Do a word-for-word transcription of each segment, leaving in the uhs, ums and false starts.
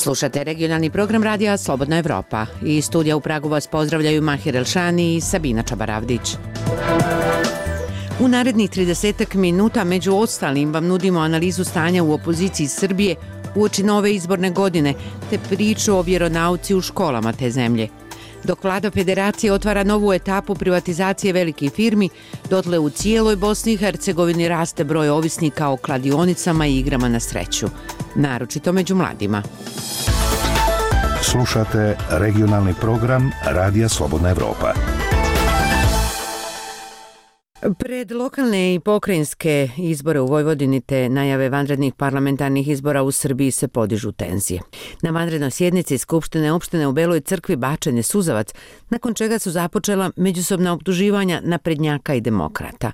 Slušate regionalni program radija Slobodna Evropa. Iz studija u Pragu vas pozdravljaju Mahir Elšani i Sabina Čabaravdić. U narednih tridesetak minuta među ostalim vam nudimo analizu stanja u opoziciji Srbije uoči nove izborne godine te priču o vjeronauci u školama te zemlje. Dok vlada federacije otvara novu etapu privatizacije velikih firmi, dotle u cijeloj Bosni i Hercegovini raste broj ovisnika o kladionicama i igrama na sreću, naročito među mladima. Slušate regionalni program Radija Slobodna Evropa. Pred lokalne i pokrajinske izbore u Vojvodini te najave vanrednih parlamentarnih izbora u Srbiji se podižu tenzije. Na vanrednoj sjednici Skupštine opštine u Beloj Crkvi bačen je suzavac, nakon čega su započela međusobna optuživanja naprednjaka i demokrata.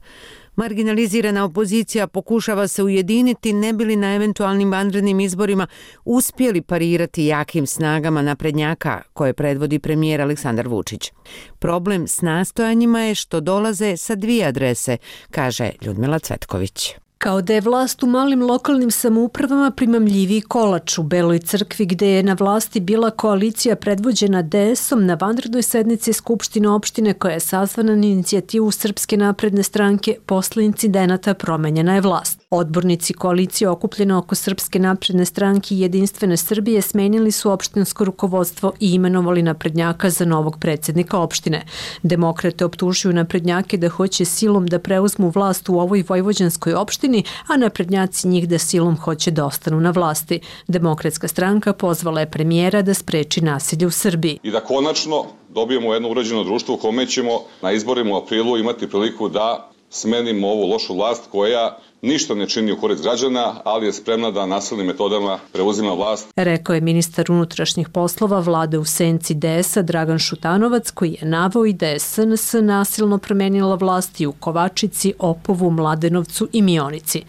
Marginalizirana opozicija pokušava se ujediniti ne bi li na eventualnim vanrednim izborima uspjeli parirati jakim snagama naprednjaka koje predvodi premijer Aleksandar Vučić. Problem s nastojanjima je što dolaze sa dvije adrese, kaže Ljudmila Cvetković. Kao da je vlast u malim lokalnim samoupravama primamljiviji kolač u Beloj Crkvi gde je na vlasti bila koalicija predvođena D S-om na vanrednoj sednici Skupštine opštine koja je sazvana na inicijativu Srpske napredne stranke posle incidenata promenjena je vlast. Odbornici koalicije okupljene oko Srpske napredne stranke i Jedinstvene Srbije smenili su opštinsko rukovodstvo i imenovali naprednjaka za novog predsjednika opštine. Demokrate optužuju naprednjake da hoće silom da preuzmu vlast u ovoj vojvođanskoj opštini, a naprednjaci njih da silom hoće da ostanu na vlasti. Demokratska stranka pozvala je premijera da spreči nasilje u Srbiji. I da konačno dobijemo jedno uređeno društvo u kome ćemo na izborima u aprilu imati priliku da smenimo ovu lošu vlast koja ništa ne čini u korist građana, ali je spremna da nasilnim metodama preuzima vlast. Rekao je ministar unutrašnjih poslova vlade u senci D S-a Dragan Šutanovac, koji je naveo i da je S N S nasilno promenila vlast i u Kovačici, Opovu, Mladenovcu i Mionici.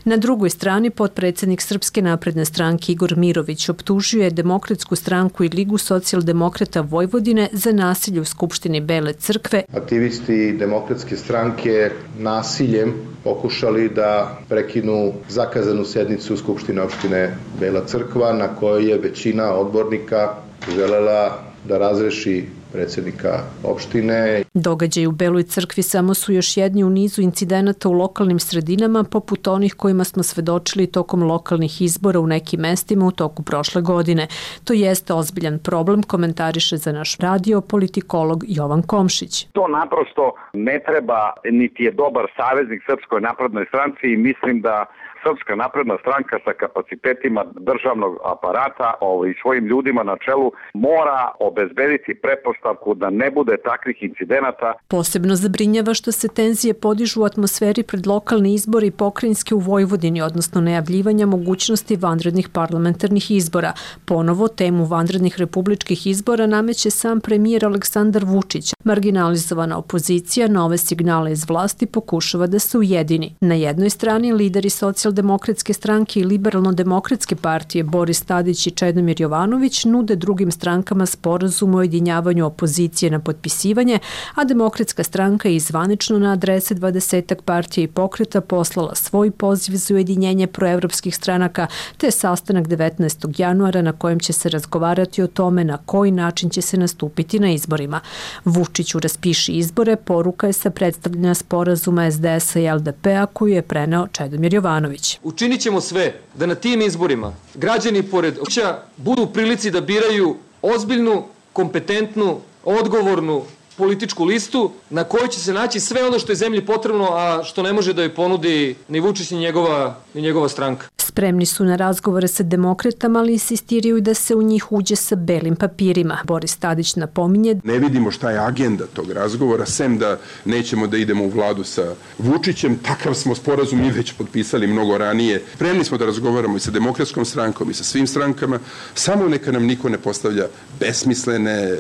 Na drugoj strani potpredsjednik Srpske napredne stranke Igor Mirović optužio je Demokratsku stranku i Ligu socijaldemokrata Vojvodine za nasilje u Skupštini Bele Crkve. Aktivisti Demokratske stranke nasiljem pokušali da prekinu zakazanu sednicu Skupštine opštine Bela Crkva na kojoj je većina odbornika želela da razreši predsjednika opštine. Događaji u Beloj Crkvi samo su još jedni u nizu incidenata u lokalnim sredinama poput onih kojima smo svedočili tokom lokalnih izbora u nekim mestima u toku prošle godine. To jeste ozbiljan problem, komentariše za naš radio politikolog Jovan Komšić. To naprosto ne treba, niti je dobar saveznik Srpskoj naprednoj stranci i mislim da Srpska napredna stranka sa kapacitetima državnog aparata i svojim ljudima na čelu mora obezbediti pretpostavku da ne bude takvih incidenata. Posebno zabrinjava što se tenzije podižu u atmosferi pred lokalne izbore i pokrajinske u Vojvodini, odnosno najavljivanja mogućnosti vanrednih parlamentarnih izbora. Ponovo temu vanrednih republičkih izbora nameće sam premijer Aleksandar Vučić. Marginalizovana opozicija na ove signale iz vlasti pokušava da se ujedini. Na jednoj strani lideri socijaldemokratske stranke i liberalno-demokratske partije Boris Tadić i Čedomir Jovanović nude drugim strankama sporazum o ujedinjavanju opozicije na potpisivanje, a Demokratska stranka je zvanično na adrese dvadesetak partija i pokreta poslala svoj poziv za ujedinjenje proevropskih stranaka te sastanak devetnaestog januara na kojem će se razgovarati o tome na koji način će se nastupiti na izborima. Vučiću raspiši izbore, poruka je sa predstavljanja sporazuma S D S-a i L D P-a koju je preneo Čedomir Jovanović. Učinit ćemo sve da na tim izborima građani pored oća budu u prilici da biraju ozbiljnu, kompetentnu, odgovornu političku listu na kojoj će se naći sve ono što je zemlji potrebno, a što ne može da joj ponudi ni Vučić ni njegova, ni njegova stranka. Spremni su na razgovore sa demokratama, ali insistiraju da se u njih uđe sa belim papirima. Boris Tadić napominje: Ne vidimo šta je agenda tog razgovora, sem da nećemo da idemo u vladu sa Vučićem. Takav smo sporazum i već potpisali mnogo ranije. Spremni smo da razgovaramo i sa Demokratskom strankom i sa svim strankama, samo neka nam niko ne postavlja besmislene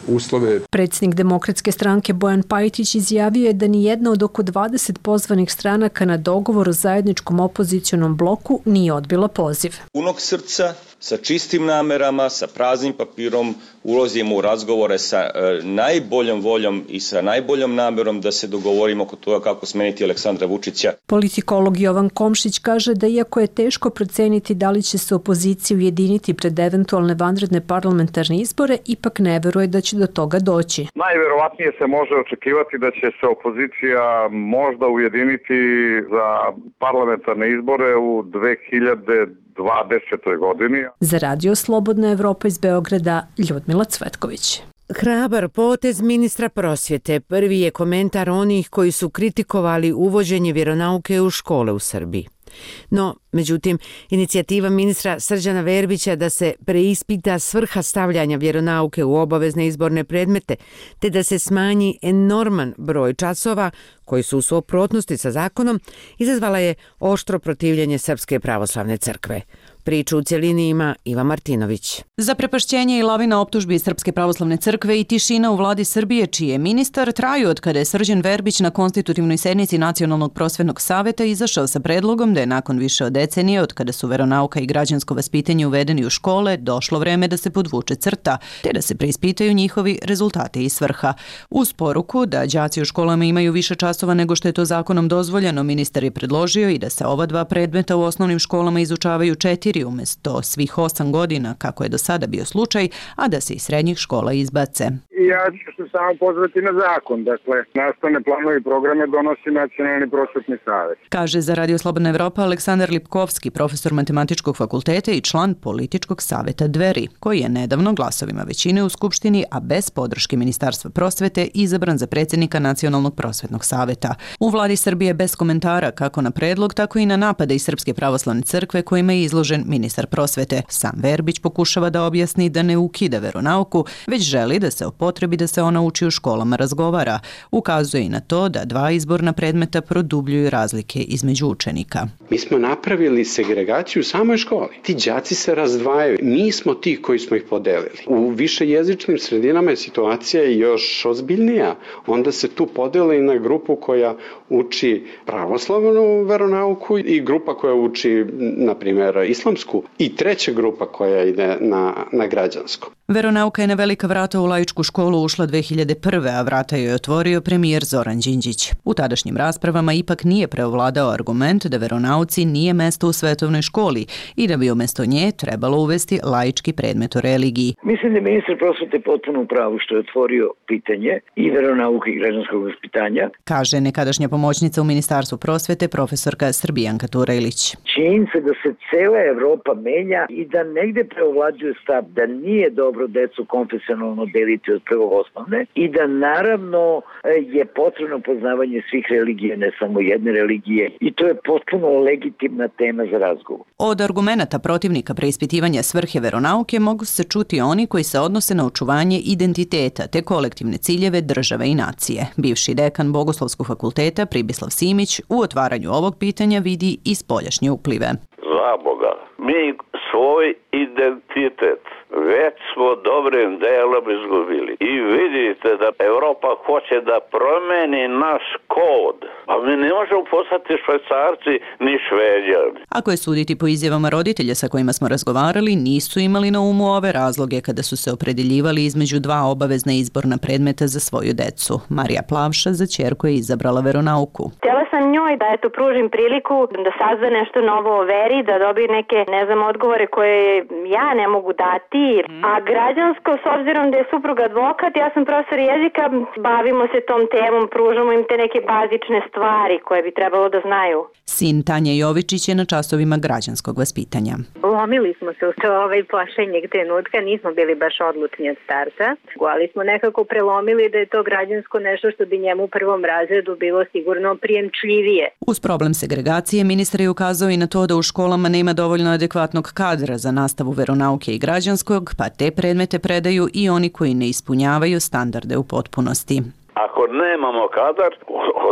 uslove. Predsjednik Demokratske Demokratske stranke Bojan Pajtić izjavio je da ni jedna od oko dvadeset pozvanih stranaka na dogovor o zajedničkom opozicionom bloku nije odbila poziv. Punog srca, sa čistim namerama, sa praznim papirom ulazimo u razgovore sa e, najboljom voljom i sa najboljom namerom da se dogovorimo oko toga kako smeniti Aleksandra Vučića. Politikolog Jovan Komšić kaže da iako je teško proceniti da li će se opozicija ujediniti pred eventualne vanredne parlamentarne izbore, ipak ne veruje da će do toga doći. Najverovatnije se može očekivati da će se opozicija možda ujediniti za parlamentarne izbore u dve hiljade dvadesetoj godini. Za Radio Slobodna Evropa iz Beograda, Ljudmila Cvetković. Hrabar potez ministra prosvjete prvi je komentar onih koji su kritikovali uvođenje vjeronauke u škole u Srbiji. No, međutim, inicijativa ministra Srđana Verbića da se preispita svrha stavljanja vjeronauke u obavezne izborne predmete, te da se smanji enorman broj časova koji su u suprotnosti sa zakonom, izazvala je oštro protivljenje Srpske pravoslavne crkve. Priču u cjelini ima Iva Martinović. Zaprepašćenje i lavina optužbi Srpske pravoslavne crkve i tišina u vladi Srbije, čiji je ministar, traju od kada je Srđan Verbić na konstitutivnoj sednici Nacionalnog prosvetnog saveta izašao sa predlogom da je nakon više od decenije, od kada su veronauka i građansko vaspitanje uvedeni u škole, došlo vreme da se podvuče crta, te da se preispitaju njihovi rezultati i svrha. Uz poruku da đaci u školama imaju više časova nego što je to zakonom dozvoljeno, ministar je predložio i da se ova dva predmeta u osnovnim školama izučavaju četiri umjesto svih osam godina, kako je do sada bio slučaj, a da se iz srednjih škola izbace. Ja ću se samo pozvati na zakon. Dakle, nastavne planove i programe donosi Nacionalni prosvetni savet. Kaže za Radio Slobodna Evropa Aleksandar Lipkovski, profesor Matematičkog fakulteta i član Političkog saveta Dveri, koji je nedavno glasovima većine u Skupštini, a bez podrške Ministarstva prosvete, izabran za predsjednika Nacionalnog prosvetnog saveta. U vladi Srbije bez komentara kako na predlog, tako i na napade iz Srpske pravoslavne crkve kojima je izložen ministar prosvete. Sam Verbić pokušava da objasni da ne ukida veronauku, već želi da se o potrebi da se ona uči u školama razgovara. Ukazuje i na to da dva izborna predmeta produbljuju razlike između učenika. Mi smo napravili segregaciju u samoj školi. Ti đaci se razdvajaju. Mi smo ti koji smo ih podelili. U višejezičnim sredinama je situacija još ozbiljnija. Onda se tu podeli na grupu koja uči pravoslavnu veronauku i grupa koja uči, na primjer, islamsku i treća grupa koja ide na, na građansko. Veronauka je na velika vrata u laičku školu ušla dve hiljade prve. a vrata joj je otvorio premijer Zoran Đinđić. U tadašnjim raspravama ipak nije preovladao argument da veronauci nije mesto u svetovnoj školi i da bi umjesto nje trebalo uvesti laički predmet o religiji. Mislim da je ministar prosvete potpuno u pravu što je otvorio pitanje i veronauke i građanskog vaspitanja. Kaže nekadašnja pomoćnica u Ministarstvu prosvete profesorka Srbijanka Turajlić. Činjenica da se cela Evropa menja i da negde preovlađuje stav da nije dobro decu konfesionalno deliti od prvog osnovne i da naravno je potrebno poznavanje svih religija, ne samo jedne religije, i to je potpuno legitimna tema za razgovor. Od argumenata protivnika preispitivanja svrhe veronauke mogu se čuti oni koji se odnose na očuvanje identiteta te kolektivne ciljeve države i nacije. Bivši dekan Bogoslovskog fakulteta Pribislav Simić u otvaranju ovog pitanja vidi i spoljašnje uplive. Za Boga, mi svoj identitet već smo dobrim delom izgubili. I vidite da Evropa hoće da promeni naš kod. A mi ne možemo postati Švajcarci ni Šveđani. Ako je suditi po izjavama roditelja sa kojima smo razgovarali, nisu imali na umu ove razloge kada su se opredeljivali između dva obavezna izborna predmeta za svoju decu. Marija Plavša za ćerku je izabrala veronauku. Htjela sam njoj da eto pružim priliku da sazna nešto novo o veri, da dobije neke, ne znam, odgovore koje ja ne mogu dati. A građansko, s obzirom da je suprug advokat, ja sam profesor jezika, bavimo se tom temom, pružamo im te neke bazične stvari koje bi trebalo da znaju. Sin Tanja Jovičić je na časovima građanskog vaspitanja. Lomili smo se u to ovaj pošlenjeg trenutka, nismo bili baš odlučni od starta, ali smo nekako prelomili da je to građansko nešto što bi njemu u prvom razredu bilo sigurno prijemčljivije. Uz problem segregacije, ministar je ukazao i na to da u školama nema dovoljno adekvatnog kadra za nastavu veronauke i građanskog, pa te predmete predaju i oni koji ne ispunjavaju standarde u potpunosti. Ako nemamo kadar,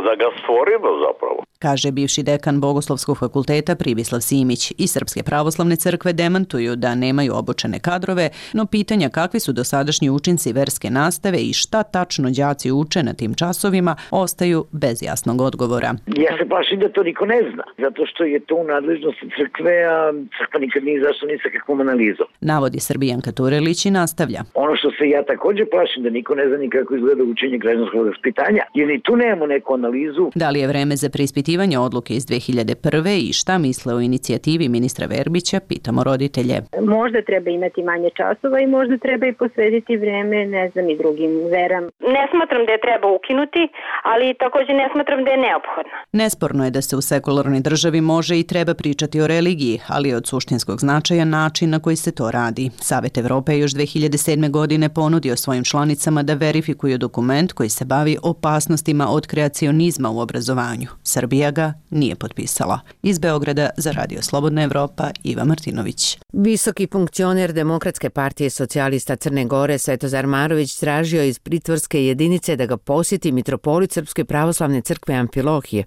da ga stvorimo zapravo. kaže bivši dekan Bogoslovskog fakulteta Pribislav Simić. I Srpske pravoslavne crkve demantuju da nemaju obučene kadrove, no pitanja kakvi su dosadašnji učinci verske nastave i šta tačno đaci uče na tim časovima ostaju bez jasnog odgovora. Ja se plašim da to niko ne zna, zato što je to u nadležnosti crkve, a crkva nikad nije zašto ni sa kakvom analizom. Navodi Srbijanka Turelić i nastavlja. Ono što se ja također plašim da niko ne zna ni kako izgleda učenje građanskog vaspitanja, jer ni tu nemamo neku analizu. Da li je vreme za preispitivanje odluke iz dve hiljade prve i šta misle o inicijativi ministra Verbića, pitamo roditelje. Možda treba imati manje časova i možda treba i posvetiti vreme, ne znam, i drugim veram. Ne smatram da je treba ukinuti, ali također ne smatram da je neophodno. Nesporno je da se u sekularnoj državi može i treba pričati o religiji, ali je od suštinskog značaja način na koji se to radi. Savet Evrope je još dve hiljade sedme. godine ponudio svojim članicama da verifikuju dokument koji se bavi opasnostima od kreacionizma u obrazovanju. Srbija ga nije potpisala. Iz Beograda za Radio Slobodna Evropa, Iva Martinović. Visoki funkcioner Demokratske partije socijalista Crne Gore Svetozar Marović tražio iz pritvorske jedinice da ga posjeti mitropolit Srpske pravoslavne crkve Amfilohije.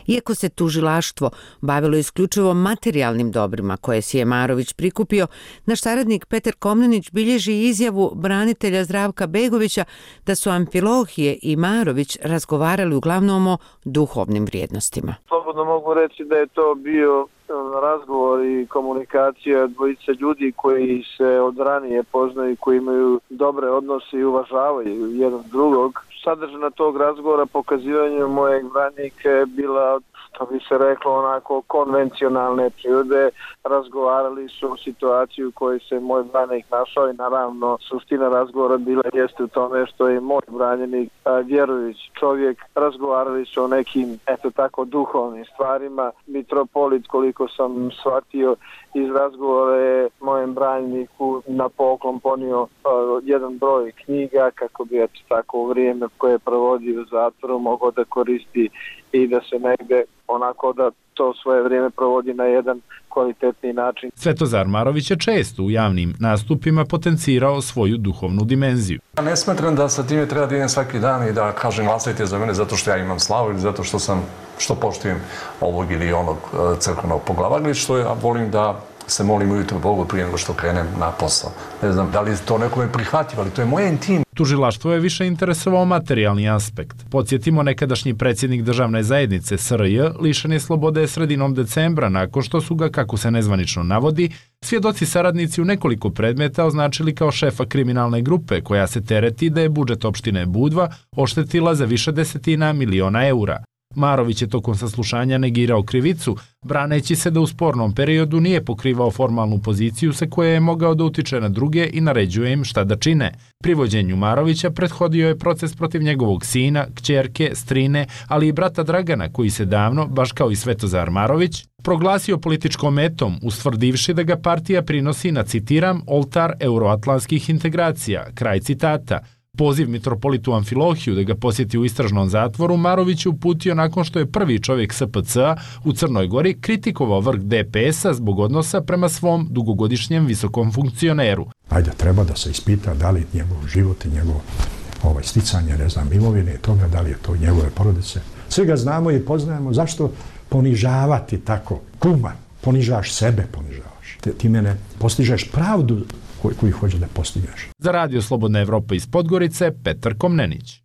Iako se tužilaštvo bavilo isključivo materijalnim dobrima koje si je Marović prikupio, naš saradnik Petar Komnenić bilježi izjavu branitelja Zdravka Begovića da su Amfilohije i Marović razgovarali uglavnom o duhovnim vrijednostima. Slobodno mogu reći da je to bio razgovor i komunikacija dvojice ljudi koji se od ranije poznaju, koji imaju dobre odnose i uvažavaju jedan drugog. Sadržina tog razgovora, pokazivanje mojeg branika je bila, što bi se reklo, onako konvencionalne prirode. Razgovarali su o situaciji u kojoj se moj branik našao i naravno suština razgovora bila jeste u tome što je moj branjenik vjerujući čovjek. Razgovarali su o nekim, eto tako, duhovnim stvarima. Mitropolit, koliko sam shvatio iz razgovora, je mojem branjeniku na poklon ponio uh, jedan broj knjiga kako bi eto tako u vrijeme koje je provodio u zatvoru mogao da koristi i da se negde onako da to svoje vrijeme provodi na jedan kvalitetni način. Svetozar Marović je često u javnim nastupima potencirao svoju duhovnu dimenziju. Ja ne smatram da sa time treba da idem svaki dan i da kažem glasajte za mene zato što ja imam slavu ili zato što sam, što poštujem ovog ili onog crkvenog poglavara, što ja volim da se molim ujutro Bogu prije nego što krenem na posao. Ne znam da li to nekome prihvatljivo, ali to je moje intim. Tužilaštvo je više interesovao materijalni aspekt. Podsjetimo, nekadašnji predsjednik državne zajednice S R J lišen je slobode sredinom decembra nakon što su ga, kako se nezvanično navodi, svjedoci saradnici u nekoliko predmeta označili kao šefa kriminalne grupe koja se tereti da je budžet opštine Budva oštetila za više desetina miliona eura. Marović je tokom saslušanja negirao krivicu, braneći se da u spornom periodu nije pokrivao formalnu poziciju sa koje je mogao da utiče na druge i naređuje im šta da čine. Privođenju Marovića prethodio je proces protiv njegovog sina, kćerke, strine, ali i brata Dragana, koji se davno, baš kao i Svetozar Marović, proglasio političkom metom, ustvrdivši da ga partija prinosi na, citiram, oltar euroatlantskih integracija, kraj citata. Poziv mitropolitu Amfilohiju da ga posjeti u istražnom zatvoru Marović je uputio nakon što je prvi čovjek S P C-a u Crnoj Gori kritikovao vrh D P S-a zbog odnosa prema svom dugogodišnjem visokom funkcioneru. Ajde, treba da se ispita da li njegov život i njegov ovaj, sticanje, ne znam, imovine i toga, da li je to njegove porodice. Svi ga znamo i poznajemo, zašto ponižavati tako? Kuma, ponižavaš sebe, ponižavaš. Ti, ti mene postižeš pravdu koji, koji hoće da postigneš. Za Radio Slobodna Evropa iz Podgorice, Petar Komnenić.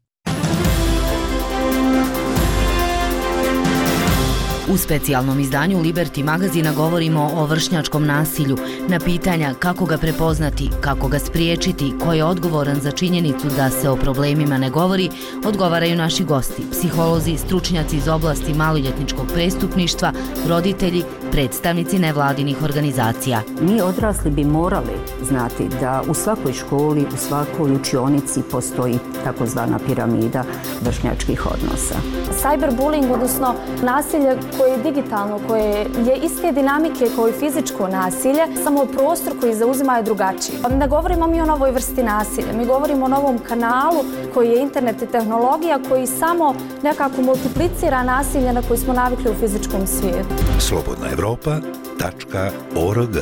U specijalnom izdanju Liberty magazina govorimo o vršnjačkom nasilju. Na pitanja kako ga prepoznati, kako ga spriječiti, ko je odgovoran za činjenicu da se o problemima ne govori, odgovaraju naši gosti, psiholozi, stručnjaci iz oblasti maloljetničkog prestupništva, roditelji, predstavnici nevladinih organizacija. Mi odrasli bi morali znati da u svakoj školi, u svakoj učionici postoji takozvana piramida vršnjačkih odnosa. Cyberbullying, odnosno nasilje koje je digitalno, koje je iste dinamike kao i fizičko nasilje, samo prostor koji zauzima je drugačiji. Ne govorimo mi o novoj vrsti nasilja, mi govorimo o novom kanalu koji je internet i tehnologija koji samo nekako multiplicira nasilje na koje smo navikli u fizičkom svijetu. slobodna evropa tačka org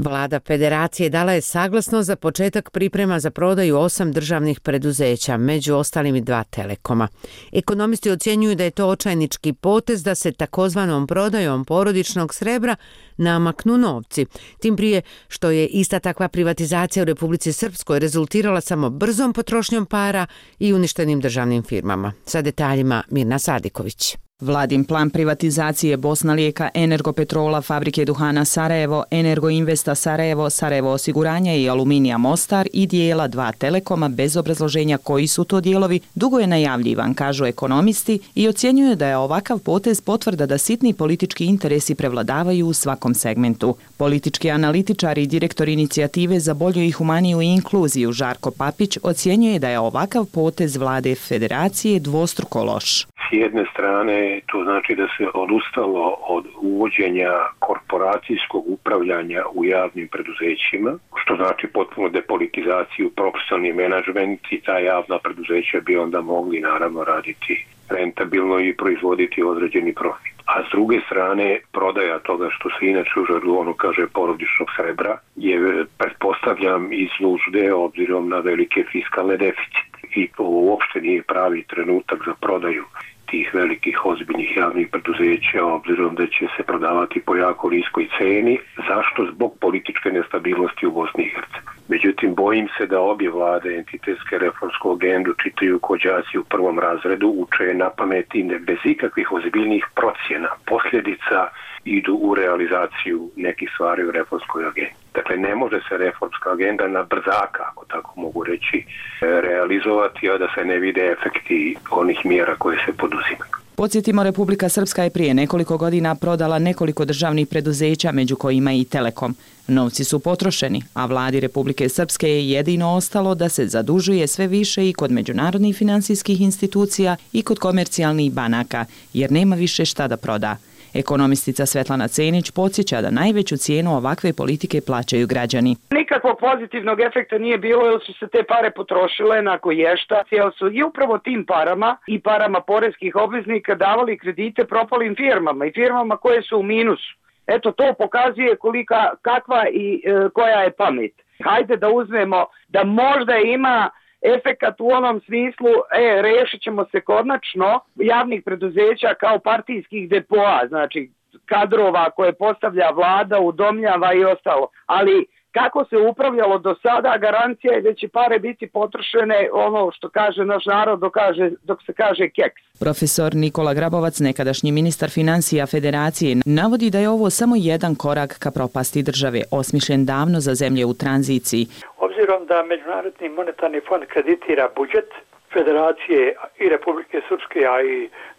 Vlada Federacije dala je saglasnost za početak priprema za prodaju osam državnih preduzeća, među ostalim i dva Telekoma. Ekonomisti ocjenjuju da je to očajnički potez da se takozvanom prodajom porodičnog srebra namaknu novci. Tim prije što je ista takva privatizacija u Republici Srpskoj rezultirala samo brzom potrošnjom para i uništenim državnim firmama. Sa detaljima Mirna Sadiković. Vladin plan privatizacije Bosna Lijeka, Energopetrola, Fabrike duhana Sarajevo, Energoinvesta Sarajevo, Sarajevo osiguranja i Aluminija Mostar i dijela dva Telekoma bez obrazloženja koji su to dijelovi, dugo je najavljivan, kažu ekonomisti, i ocjenjuje da je ovakav potez potvrda da sitni politički interesi prevladavaju u svakom segmentu. Politički analitičar i direktor inicijative za bolju i humaniju inkluziju Žarko Papić ocjenjuje da je ovakav potez Vlade Federacije dvostruko loš. S jedne strane to znači da se odustalo od uvođenja korporacijskog upravljanja u javnim preduzećima, što znači potpuno depolitizaciju, profesionalni menadžment, i ta javna preduzeća bi onda mogli naravno raditi rentabilno i proizvoditi određeni profit. A s druge strane, prodaja toga što se inače u žargonu kaže porodičnog srebra je, pretpostavljam, iz nužde obzirom na velike fiskalne deficite. I to uopšte nije pravi trenutak za prodaju tih velikih ozbiljnih javnih preduzeća, obzirom da će se prodavati po jako niskoj ceni. Zašto? Zbog političke nestabilnosti u Bosni i Hercegovini. Međutim, bojim se da obje vlade entitetske reformsku agendu čitaju ko đaci u prvom razredu, uče na pameti bez ikakvih ozbiljnih procjena. Posljedica idu u realizaciju nekih stvari u reformskoj agendi. Dakle, ne može se reformska agenda na brzaka, ako tako mogu reći, realizovati, a da se ne vide efekti onih mjera koje se poduzimaju. Podsjetimo, Republika Srpska je prije nekoliko godina prodala nekoliko državnih preduzeća, među kojima i Telekom. Novci su potrošeni, a vladi Republike Srpske je jedino ostalo da se zadužuje sve više i kod međunarodnih finansijskih institucija i kod komercijalnih banaka, jer nema više šta da proda. Ekonomistica Svetlana Cenić podsjeća da najveću cijenu ovakve politike plaćaju građani. Nikakvog pozitivnog efekta nije bilo jer su se te pare potrošile na koješta, jer su i upravo tim parama i parama poreskih obveznika davali kredite propalim firmama i firmama koje su u minusu. Eto, to pokazuje kolika, kakva i e, koja je pamet. Hajde da uzmemo da možda ima efekat u onom smislu, e, rešit ćemo se konačno javnih preduzeća kao partijskih depoa, znači kadrova koje postavlja vlada, udomljava i ostalo. Ali kako se upravljalo do sada, garancija je da će pare biti potrošene, ono što kaže naš narod, dok, kaže, dok se kaže keks. Profesor Nikola Grabovac, nekadašnji ministar financija Federacije, navodi da je ovo samo jedan korak ka propasti države, osmišljen davno za zemlje u tranziciji. Obzirom da Međunarodni monetarni fond kreditira budžet Federacije i Republike Srpske, a i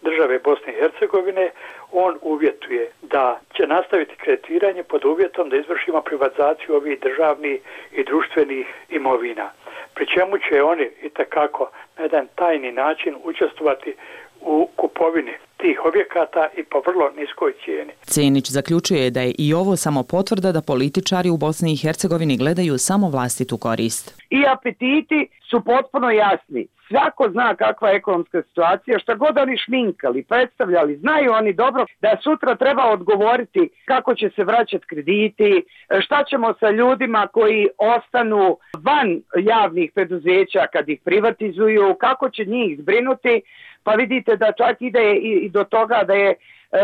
države Bosne i Hercegovine, on uvjetuje da će nastaviti kreditiranje pod uvjetom da izvršimo privatizaciju ovih državnih i društvenih imovina. Pri čemu će oni itekako na jedan tajni način učestvovati u kupovini tih objekata i po vrlo niskoj cijeni. Cenić zaključuje da je i ovo samo potvrda da političari u Bosni i Hercegovini gledaju samo vlastitu korist. I apetiti su potpuno jasni. Svako zna kakva je ekonomska situacija, šta god oni šminkali, predstavljali, znaju oni dobro da sutra treba odgovoriti kako će se vraćati krediti, šta ćemo sa ljudima koji ostanu van javnih preduzeća kad ih privatizuju, kako će njih zbrinuti. Pa vidite da čak ide i do toga da je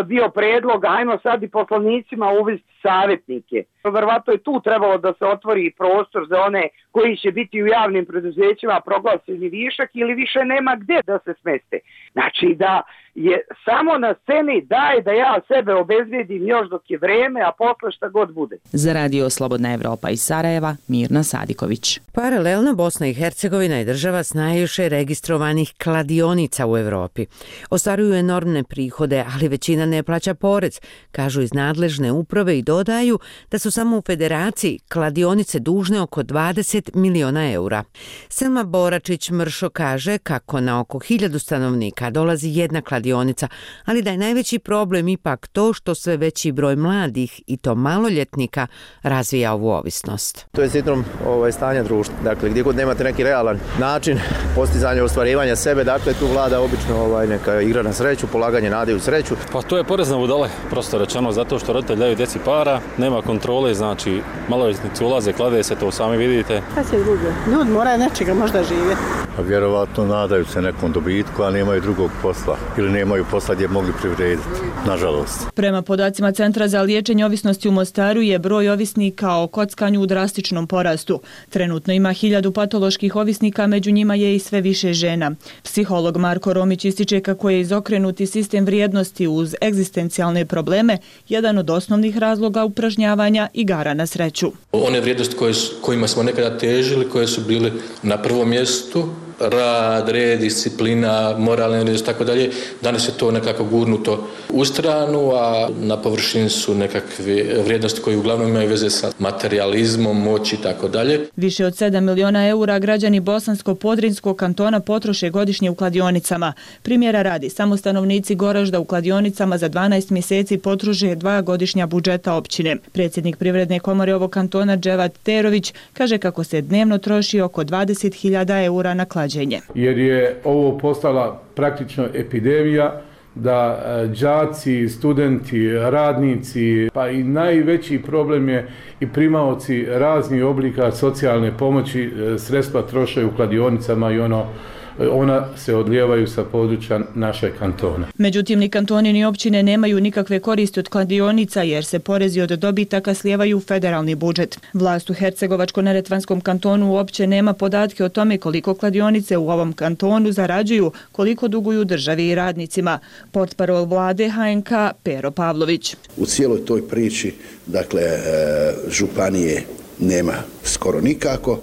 bio predlog, ajmo sad i poslanicima uvesti savjetnike. Verovatno je tu trebalo da se otvori prostor za one koji će biti u javnim preduzećima proglašeni višak ili više nema gdje da se smeste. Znači da je samo na sceni daj da ja sebe obezvijedim još dok je vreme, a posle šta god bude. Za Radio Slobodna Evropa iz Sarajeva, Mirna Sadiković. Paralelno, Bosna i Hercegovina je država s najviše registrovanih kladionica u Evropi. Ostvaruju enormne prihode, ali većina ne plaća porez, kažu iz nadležne uprave i dodaju da su samo u Federaciji kladionice dužne oko dvadeset miliona eura. Selma Boračić-Mršo kaže kako na oko hiljadu stanovnika dolazi jedna kladionica, ali da je najveći problem ipak to što sve veći broj mladih i to maloljetnika razvija ovu ovisnost. To je sindrom ovaj, stanja društva. Dakle, gdje god nemate neki realan način postizanja ostvarivanja sebe, dakle tu vlada obično ovaj, neka igra na sreću, polaganje nade u sreću. Pa to je porezna budale, prosto rečeno, zato što roditelj daju djeci para, nema kontrole škole, znači maloljetnici ulaze, klade se, to sami vidite. Šta će drugo? Ljudi moraju nečega možda živjeti. Vjerovatno nadaju se nekom dobitku, a nemaju drugog posla ili nemaju posla gdje mogli privrediti, nažalost. Prema podacima Centra za liječenje ovisnosti u Mostaru je broj ovisnika o kockanju u drastičnom porastu. Trenutno ima hiljadu patoloških ovisnika, među njima je i sve više žena. Psiholog Marko Romić ističe kako je izokrenuti sistem vrijednosti uz egzistencijalne probleme jedan od osnovnih razloga upražnjavanja igara na sreću. One vrijednosti koje, kojima smo nekada težili, koje su bile na prvom mjestu, rad, red, disciplina, moralne vrijednosti, tako dalje, danas je to nekako gurnuto u stranu, a na površini su nekakve vrijednosti koje uglavnom imaju veze sa materializmom, moći i tako dalje. Više od sedam miliona eura građani Bosansko-Podrinskog kantona potroše godišnje u kladionicama. Primjera radi, samo stanovnici Goražda u kladionicama za dvanaest mjeseci potroše dva godišnja budžeta općine. Predsjednik Privredne komore ovog kantona Dževat Terović kaže kako se dnevno troši oko dvadeset hiljada eura na klađenje. Jer je ovo postala praktično epidemija da đaci, studenti, radnici, pa i najveći problem je i primaoci raznih oblika socijalne pomoći sredstva troše u kladionicama i ono ona se odlijevaju sa područja našeg kantona. Međutim, ni kantoni ni općine nemaju nikakve koristi od kladionica jer se porezi od dobitaka slijevaju u federalni budžet. Vlast u Hercegovačko-neretvanskom kantonu uopće nema podatke o tome koliko kladionice u ovom kantonu zarađuju, koliko duguju državi i radnicima. Portparol vlade H N K Pero Pavlović. U cijeloj toj priči, dakle, županije nema skoro nikako.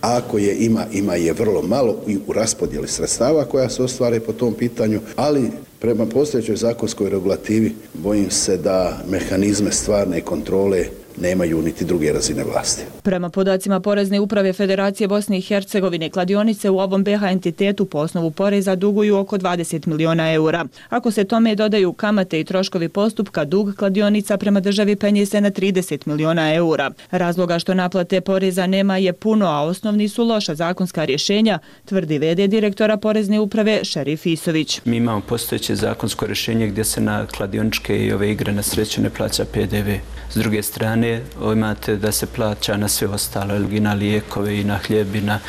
A ako je ima, ima je vrlo malo i u raspodjeli sredstava koja se ostvare po tom pitanju, ali prema postojećoj zakonskoj regulativi bojim se da mehanizme stvarne kontrole nemaju niti druge razine vlasti. Prema podacima Porezne uprave Federacije Bosne i Hercegovine, kladionice u ovom B H entitetu po osnovu poreza duguju oko dvadeset miliona eura. Ako se tome dodaju kamate i troškovi postupka, dug kladionica prema državi penje se na trideset miliona eura. Razloga što naplate poreza nema je puno, a osnovni su loša zakonska rješenja, tvrdi v d direktora Porezne uprave Šerif Isović. Mi imamo postojeće zakonsko rješenje gdje se na kladioničke i ove igre na sreću ne plaća P D V. S druge strane, imate da se plaća na sve ostalo, i na lijekove i na hljeb i na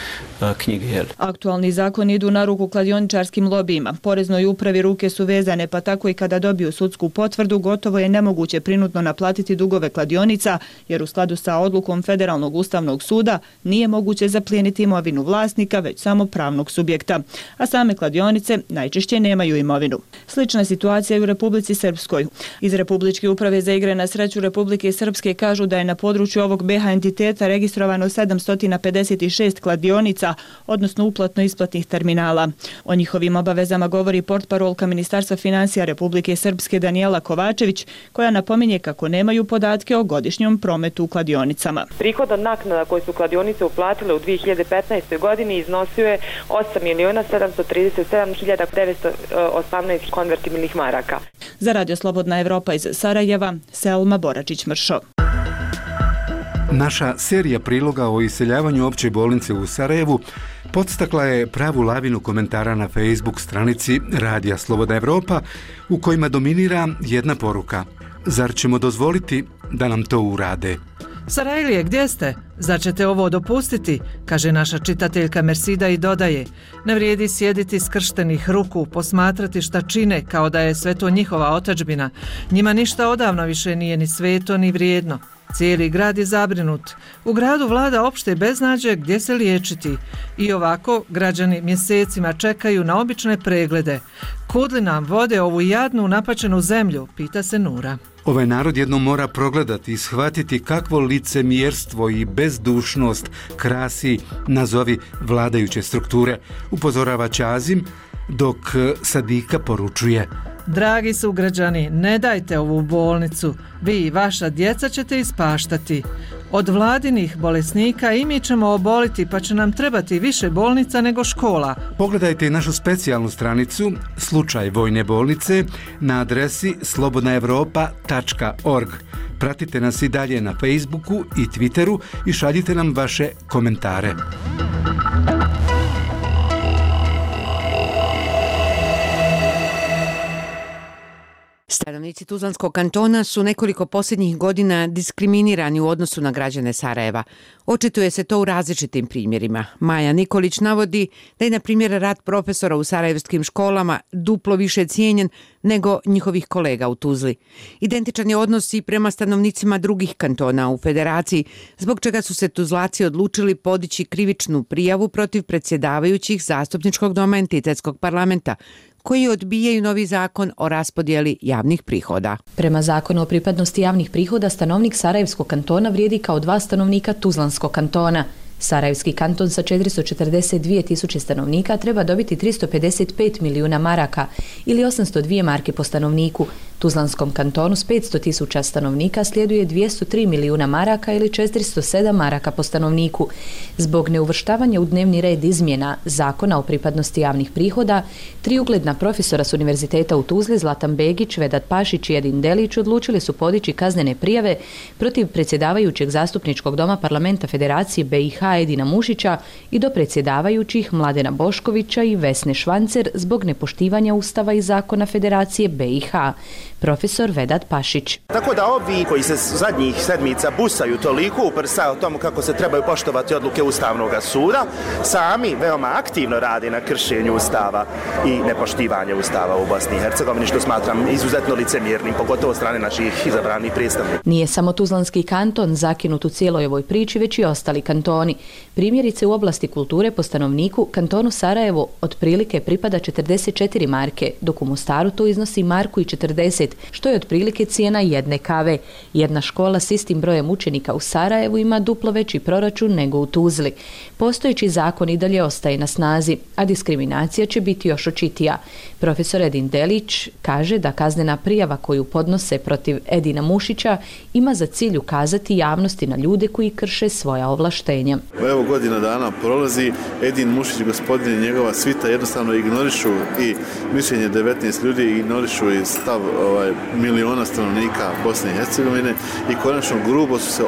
knjige. Jel? Aktualni zakon idu na ruku kladioničarskim lobijima. Poreznoj upravi ruke su vezane, pa tako i kada dobiju sudsku potvrdu, gotovo je nemoguće prinudno naplatiti dugove kladionica, jer u skladu sa odlukom Federalnog ustavnog suda nije moguće zaplijeniti imovinu vlasnika, već samo pravnog subjekta. A same kladionice najčešće nemaju imovinu. Slična situacija je u Republici Srpskoj. Iz Republičke uprave za igre na sreću Republike Srpske kažu da je na području ovog B H entiteta registrovano sedamsto pedeset šest kladionica, odnosno uplatno-isplatnih terminala. O njihovim obavezama govori portparolka Ministarstva financija Republike Srpske Danijela Kovačević, koja napominje kako nemaju podatke o godišnjom prometu u kladionicama. Prihod od naknada koje su kladionice uplatile u dvije hiljade petnaestoj. godini iznosio je osam miliona sedamsto trideset sedam hiljada devetsto osamnaest konvertibilnih maraka. Za Radio Slobodna Evropa iz Sarajeva, Selma Boračić-Mršo. Naša serija priloga o iseljavanju opće bolnice u Sarajevu podstakla je pravu lavinu komentara na Facebook stranici Radija Slobodna Evropa u kojima dominira jedna poruka. Zar ćemo dozvoliti da nam to urade? Sarajlije, gdje ste? Zar ćete ovo dopustiti? Kaže naša čitateljka Mersida i dodaje: ne vrijedi sjediti skrštenih ruku, posmatrati šta čine kao da je sve to njihova otadžbina. Njima ništa odavno više nije ni sveto ni vrijedno. Cijeli grad je zabrinut. U gradu vlada opšte beznađe gdje se liječiti. I ovako građani mjesecima čekaju na obične preglede. Kud li nam vode ovu jadnu napačenu zemlju, pita se Nura. Ovaj narod jednom mora progledati i shvatiti kakvo licemjerstvo i bezdušnost krasi, nazovi, vladajuće strukture, upozorava Ćazim, dok Sadika poručuje: dragi sugrađani, ne dajte ovu bolnicu, vi i vaša djeca ćete ispaštati. Od vladinih bolesnika i mi ćemo oboliti, pa će nam trebati više bolnica nego škola. Pogledajte i našu specijalnu stranicu Slučaj vojne bolnice na adresi slobodnaevropa tačka org. Pratite nas i dalje na Facebooku i Twitteru i šaljite nam vaše komentare. Stara Stanovnici Tuzlanskog kantona su nekoliko posljednjih godina diskriminirani u odnosu na građane Sarajeva. Očituje se to u različitim primjerima. Maja Nikolić navodi da je, na primjer, rad profesora u sarajevskim školama duplo više cijenjen nego njihovih kolega u Tuzli. Identičan je odnos i prema stanovnicima drugih kantona u federaciji, zbog čega su se Tuzlaci odlučili podići krivičnu prijavu protiv predsjedavajućih zastupničkog doma entitetskog parlamenta, koji odbijaju novi zakon o raspodjeli javnih prihoda. Prema zakonu o pripadnosti javnih prihoda, stanovnik Sarajevskog kantona vrijedi kao dva stanovnika Tuzlanskog kantona. Sarajevski kanton sa četiristo četrdeset dvije tisuće stanovnika treba dobiti tristo pedeset pet milijuna maraka ili osamsto dvije marke po stanovniku. Tuzlanskom kantonu s petsto tisuća stanovnika slijeduje dvjesto tri milijuna maraka ili četiristo sedam maraka po stanovniku. Zbog neuvrštavanja u dnevni red izmjena zakona o pripadnosti javnih prihoda, tri ugledna profesora s univerziteta u Tuzli, Zlatan Begić, Vedat Pašić i Edin Delić, odlučili su podići kaznene prijave protiv predsjedavajućeg zastupničkog doma parlamenta Federacije B i H Edina Mušića i do predsjedavajućih Mladena Boškovića i Vesne Švancer zbog nepoštivanja Ustava i zakona Federacije B i H. Profesor Vedat Pašić. Tako da ovi koji se zadnjih sedmica busaju toliko u prsa o tomu kako se trebaju poštovati odluke Ustavnog suda, sami veoma aktivno rade na kršenju Ustava i nepoštivanje Ustava u Bosni i Hercegovini, što smatram izuzetno licemjernim, pogotovo od strane naših izabranih predstavnika. Nije samo Tuzlanski kanton zakinut u cijeloj ovoj priči, već i ostali kantoni. Primjerice, u oblasti kulture po stanovniku kantonu Sarajevo otprilike pripada četrdeset četiri marke, dok u Mostaru to iznosi marku i četrdeset, što je otprilike cijena jedne kave. Jedna škola s istim brojem učenika u Sarajevu ima duplo veći proračun nego u Tuzli. Postojeći zakon i dalje ostaje na snazi, a diskriminacija će biti još očitija. Profesor Edin Delić kaže da kaznena prijava koju podnose protiv Edina Mušića ima za cilj ukazati javnosti na ljude koji krše svoja ovlaštenja. Evo godina dana prolazi, Edin Mušić, gospodin i njegova svita jednostavno ignorišu i mišljenje devetnaest ljudi, ignorišu i stav ovaj, miliona stanovnika Bosne i Hercegovine i konačno grubo su se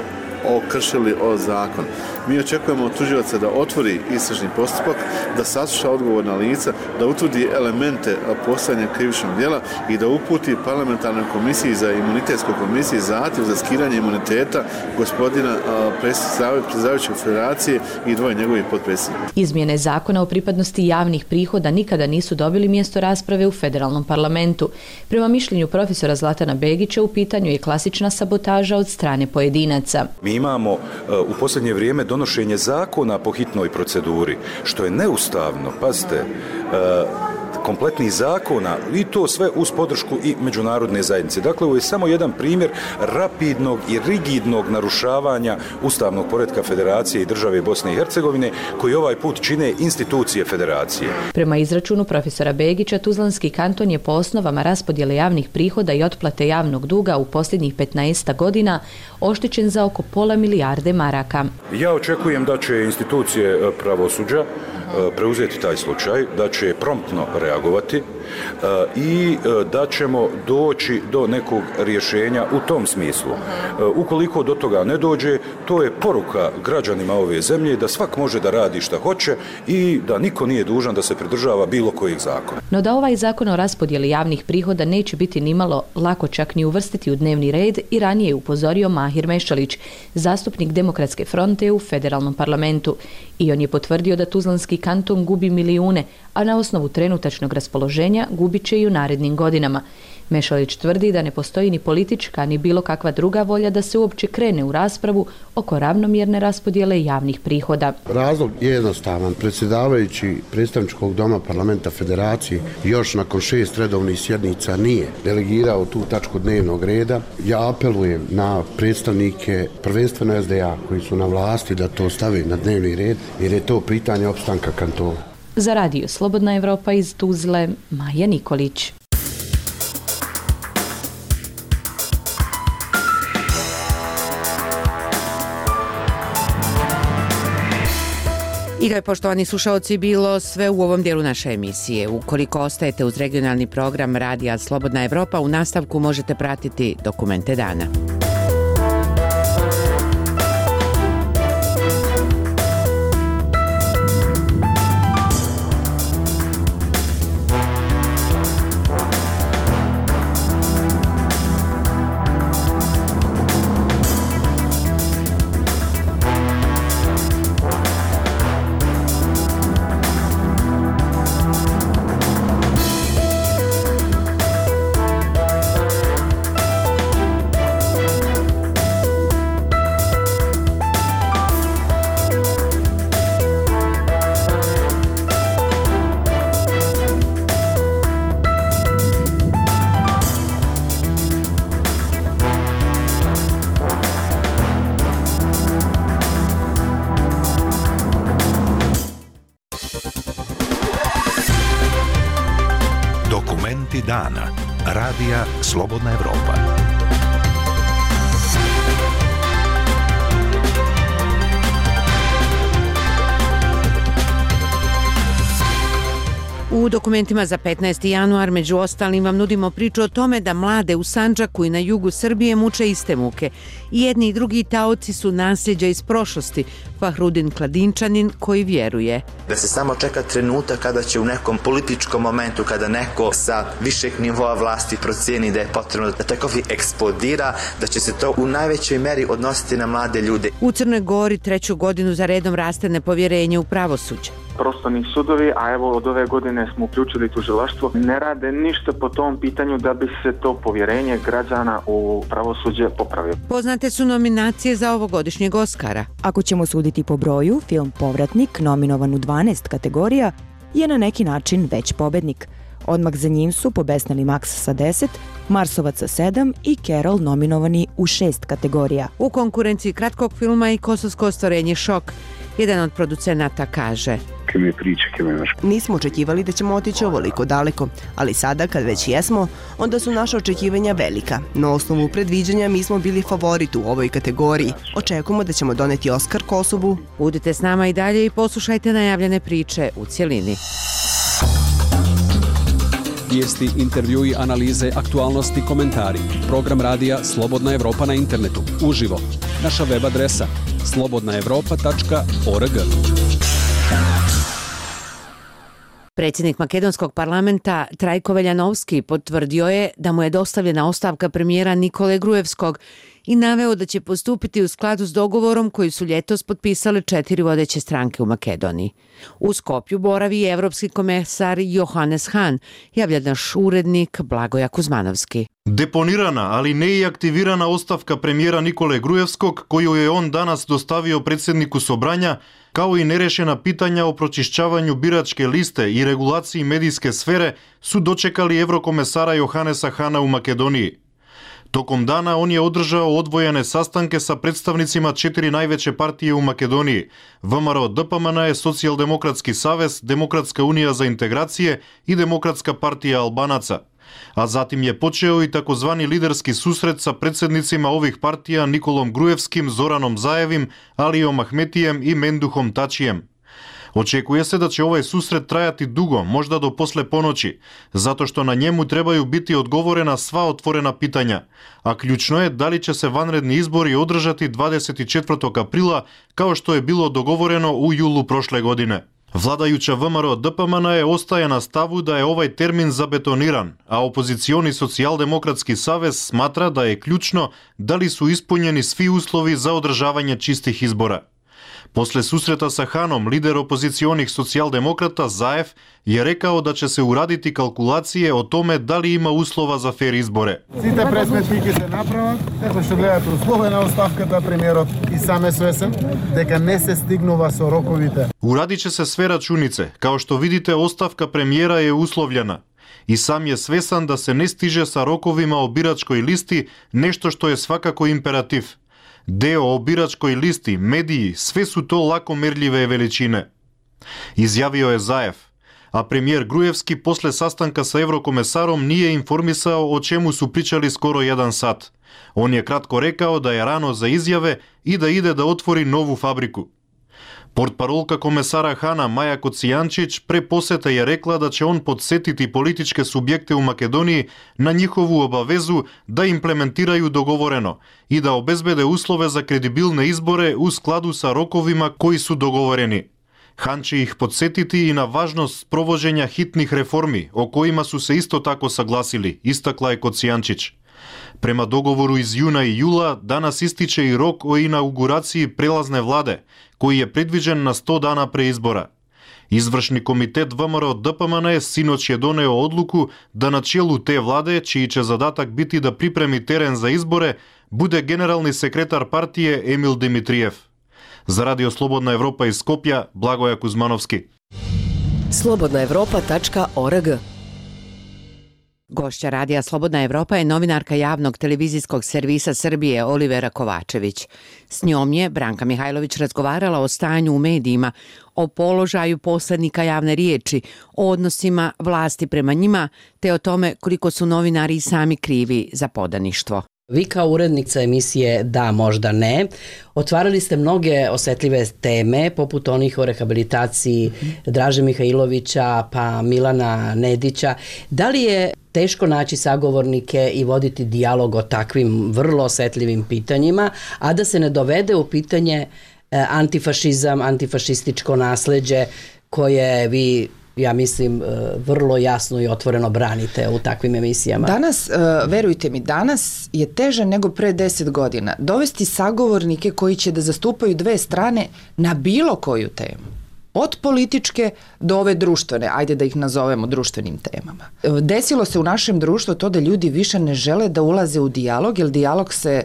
okršili o zakon. Mi očekujemo od tužilaca da otvori istražni postupak, da sasluša odgovorna lica, da utvrdi elemente postojanja krivičnog djela i da uputi parlamentarnoj komisiji za imunitetskoj komisiji zahtjev za skidanje imuniteta gospodina predsjedavajućeg federacije i dvoje njegovih potpredsjednika. Izmjene zakona o pripadnosti javnih prihoda nikada nisu dobili mjesto rasprave u federalnom parlamentu. Prema mišljenju profesora Zlatana Begića, u pitanju je klasična sabotaža od strane pojedinaca. Mi imamo uh, u posljednje vrijeme donošenje zakona po hitnoj proceduri, što je neustavno, pazite, uh, kompletnih zakona i to sve uz podršku i međunarodne zajednice. Dakle, ovo je samo jedan primjer rapidnog i rigidnog narušavanja ustavnog poretka Federacije i države Bosne i Hercegovine, koji ovaj put čine institucije Federacije. Prema izračunu profesora Begića, Tuzlanski kanton je po osnovama raspodjele javnih prihoda i otplate javnog duga u posljednjih petnaest godina oštećen za oko pola milijarde maraka. Ja očekujem da će institucije pravosuđa preuzeti taj slučaj, da će promptno reagovati i da ćemo doći do nekog rješenja u tom smislu. Ukoliko do toga ne dođe, to je poruka građanima ove zemlje da svak može da radi šta hoće i da niko nije dužan da se pridržava bilo kojeg zakona. No da ovaj zakon o raspodjeli javnih prihoda neće biti nimalo lako čak ni uvrstiti u dnevni red i ranije je upozorio Mahir Mešalić, zastupnik Demokratske fronte u federalnom parlamentu. I on je potvrdio da Tuzlanski kanton gubi milijune, a na osnovu trenutačnog raspoloženja gubit će i u narednim godinama. Mešalić tvrdi da ne postoji ni politička ni bilo kakva druga volja da se uopće krene u raspravu oko ravnomjerne raspodjele javnih prihoda. Razlog je jednostavan. Predsjedavajući predstavničkog doma parlamenta Federacije još nakon šest redovnih sjednica nije delegirao tu tačku dnevnog reda. Ja apelujem na predstavnike prvenstveno S D A koji su na vlasti da to stave na dnevni red jer je to pitanje opstanka kantona. Za radio Slobodna Evropa iz Tuzle, Maja Nikolić. I to je, poštovani slušaoci, bilo sve u ovom dijelu naše emisije. Ukoliko ostajete uz regionalni program Radija Slobodna Evropa, u nastavku možete pratiti dokumente dana. Vijesti dana. Radija Slobodna Evropa. U dokumentima za petnaesti januar među ostalim vam nudimo priču o tome da mlade u Sandžaku i na jugu Srbije muče iste muke. I jedni i drugi taoci su nasljeđa iz prošlosti. Fahrudin Kladinčanin koji vjeruje da se samo čeka trenutak kada će u nekom političkom momentu, kada neko sa višeg nivoa vlasti procijeni da je potrebno da taj konflikt eksplodira, da će se to u najvećoj meri odnositi na mlade ljude. U Crnoj Gori treću godinu za redom raste nepovjerenje u pravosuđe. Prostorni sudovi, a evo od ove godine smo uključili tužilaštvo, ne rade ništa po tom pitanju da bi se to povjerenje građana u pravosuđe popravilo. Poznate su nominacije za ovogodišnjeg Oskara. Ako ćemo suditi po broju, film Povratnik, nominovan u dvanaest kategorija, je na neki način već pobednik. Odmah za njim su pobesnili Max sa deset, Marsovac sa sedam i Carol nominovani u šest kategorija. U konkurenciji kratkog filma i kosovsko ostvarenje Šok. Jedan od producenata kaže: Nismo očekivali da ćemo otići ovoliko daleko, ali sada kad već jesmo, onda su naša očekivanja velika. Na osnovu predviđanja mi smo bili favorit u ovoj kategoriji. Očekujemo da ćemo doneti Oskar Kosovu. Budite s nama i dalje i poslušajte najavljene priče u cjelini. Vijesti, intervjui, analize, aktualnosti, komentari. Program radija Slobodna Evropa na internetu. Uživo. Naša web adresa slobodna evropa tačka org. Predsjednik makedonskog parlamenta Trajko Veljanovski potvrdio je da mu je dostavljena ostavka premijera Nikole Grujevskog i naveo da će postupiti u skladu s dogovorom koji su ljetos potpisale četiri vodeće stranke u Makedoniji. U Skopju boravi evropski komesar Johannes Hahn, javlja naš urednik Blagoja Kuzmanovski. Deponirana, ali ne i aktivirana ostavka premijera Nikole Grujevskog, koju je on danas dostavio predsjedniku Sobranja, kao i nerešena pitanja o pročišćavanju biračke liste i regulaciji medijske sfere, su dočekali evrokomesara Johannesa Hahna u Makedoniji. Tokom dana on je održao odvojene sastanke sa predstavnicima četiri najveće partije u Makedoniji: V M R D P M N, Socijaldemokratski savez, Demokratska unija za integracije i Demokratska partija Albanaca. A zatim je počeo i takozvani liderski susret sa predsjednicima ovih partija Nikolom Grujevskim, Zoranom Zajevim, Alijom Ahmetijem i Menduhom Tačijem. Očekuje se da će ovaj susret trajati dugo, možda do posle ponoći, zato što na njemu trebaju biti odgovorena sva otvorena pitanja, a ključno je da li će se vanredni izbori održati dvadeset četvrtog aprila, kao što je bilo dogovoreno u julu prošle godine. Vladajuća V M R D P M N je ostaje na stavu da je ovaj termin zabetoniran, a opozicioni Socijaldemokratski savez smatra da je ključno da li su ispunjeni svi uslovi za održavanje čistih izbora. Posle susreta sa Hanom, lider opozicionih socijaldemokrata Zaev je rekao da će se uraditi kalkulacije o tome da li ima uslova za fer izbore. Сите пресметки се направат, како што гледате услове на оставката премиерот и сам е свесен дека не се стигнува со роковите. Uradit će se sve računice. Kao što vidite, ostavka premijera je uslovljena. I sam je svesan da se ne stiže sa rokovima o biračkoj listi, nešto što je svakako imperativ. Deo o biračkoj listi, mediji, sve su to lako merljive veličine. Izjavio je Zaev, a premijer Grujevski posle sastanka sa evrokomesarom nije informisao o čemu su pričali skoro jedan sat. On je kratko rekao da je rano za izjave i da ide da otvori novu fabriku. Portparolka komesara Hana Maja Kocijančić pre posete je rekla da će on podsjetiti političke subjekte u Makedoniji na njihovu obavezu da implementiraju dogovoreno i da obezbede uslove za kredibilne izbore u skladu sa rokovima koji su dogovoreni. Han će ih podsjetiti i na važnost provođenja hitnih reformi, o kojima su se isto tako saglasili, istakla je Kocijančić. Prema dogovoru iz juna i jula, danas ističe i rok o inauguraciji prelazne vlade, koji je predviđen na sto dana pre izbora. Izvršni komitet V M R D P M N sinoć je doneo odluku da na čelu te vlade, čiji će zadatak biti da pripremi teren za izbore, bude generalni sekretar partije Emil Dimitrijev. Za Radio Slobodna Evropa iz Skopja, Blagoja Kuzmanovski. slobodna evropa tačka org Gošća Radija Slobodna Evropa je novinarka javnog televizijskog servisa Srbije Olivera Kovačević. S njom je Branka Mihajlović razgovarala o stanju u medijima, o položaju posrednika javne riječi, o odnosima vlasti prema njima, te o tome koliko su novinari sami krivi za podaništvo. Vi kao urednica emisije Da, možda ne, otvarali ste mnoge osetljive teme, poput onih o rehabilitaciji Draže Mihajlovića, pa Milana Nedića. Da li je teško naći sagovornike i voditi dijalog o takvim vrlo osetljivim pitanjima, a da se ne dovede u pitanje antifašizam, antifašističko nasleđe koje vi, ja mislim, vrlo jasno i otvoreno branite u takvim emisijama? Danas, verujte mi, danas je teže nego pre deset godina dovesti sagovornike koji će da zastupaju dve strane na bilo koju temu. Od političke do ove društvene, ajde da ih nazovemo društvenim temama. Desilo se u našem društvu to da ljudi više ne žele da ulaze u dijalog, jer dijalog se